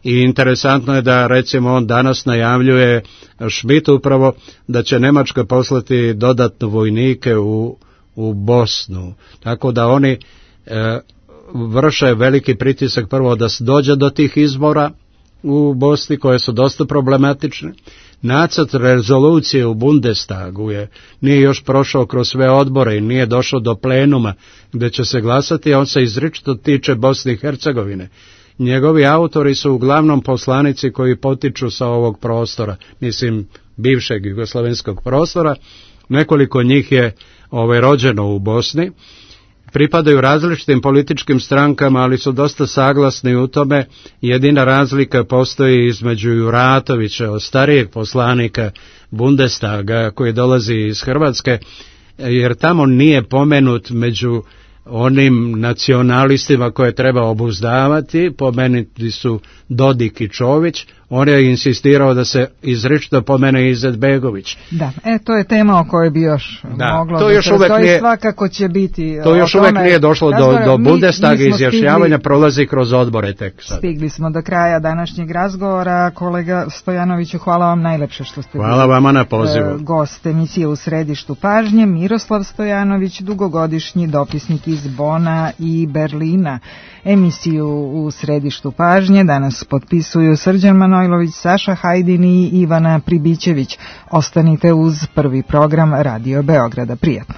I interesantno je da recimo on danas najavljuje Schmidt upravo da će Njemačka poslati dodatno vojnike u Bosnu. Tako da oni vrše veliki pritisak prvo da se dođe do tih izbora u Bosni koje su dosta problematične. Nacrt rezolucije u Bundestagu nije još prošao kroz sve odbore i nije došao do plenuma gdje će se glasati, a on se izričito tiče Bosne i Hercegovine. Njegovi autori su uglavnom poslanici koji potiču sa ovog prostora, mislim bivšeg jugoslavenskog prostora, nekoliko njih je rođeno u Bosni, pripadaju različitim političkim strankama, ali su dosta saglasni u tome. Jedina razlika postoji između Juratovića, starijeg poslanika Bundestaga koji dolazi iz Hrvatske, jer tamo nije pomenut među onim nacionalistima koje treba obuzdavati, pomenuti su Dodik i Čović, on je insistirao da se izričito pomene Izetbegović. Da, to je tema o kojoj bi još moglo to da se razgoji, svakako će biti. To još uvek nije došlo do Bundestaga, izjašnjavanja prolazi kroz odbore tek sad. Stigli smo do kraja današnjeg razgovora. Kolega Stojanoviću, hvala vam najlepše što ste hvala vama na pozivu. Gost emisije U središtu pažnje, Miroslav Stojanović, dugogodišnji dopisnik iz Bona i Berlina. Emisiju U središtu pažnje danas potpisuju Srđan Manojlović, Saša Hajdin i Ivana Pribićević. Ostanite uz prvi program Radio Beograda. Prijatno.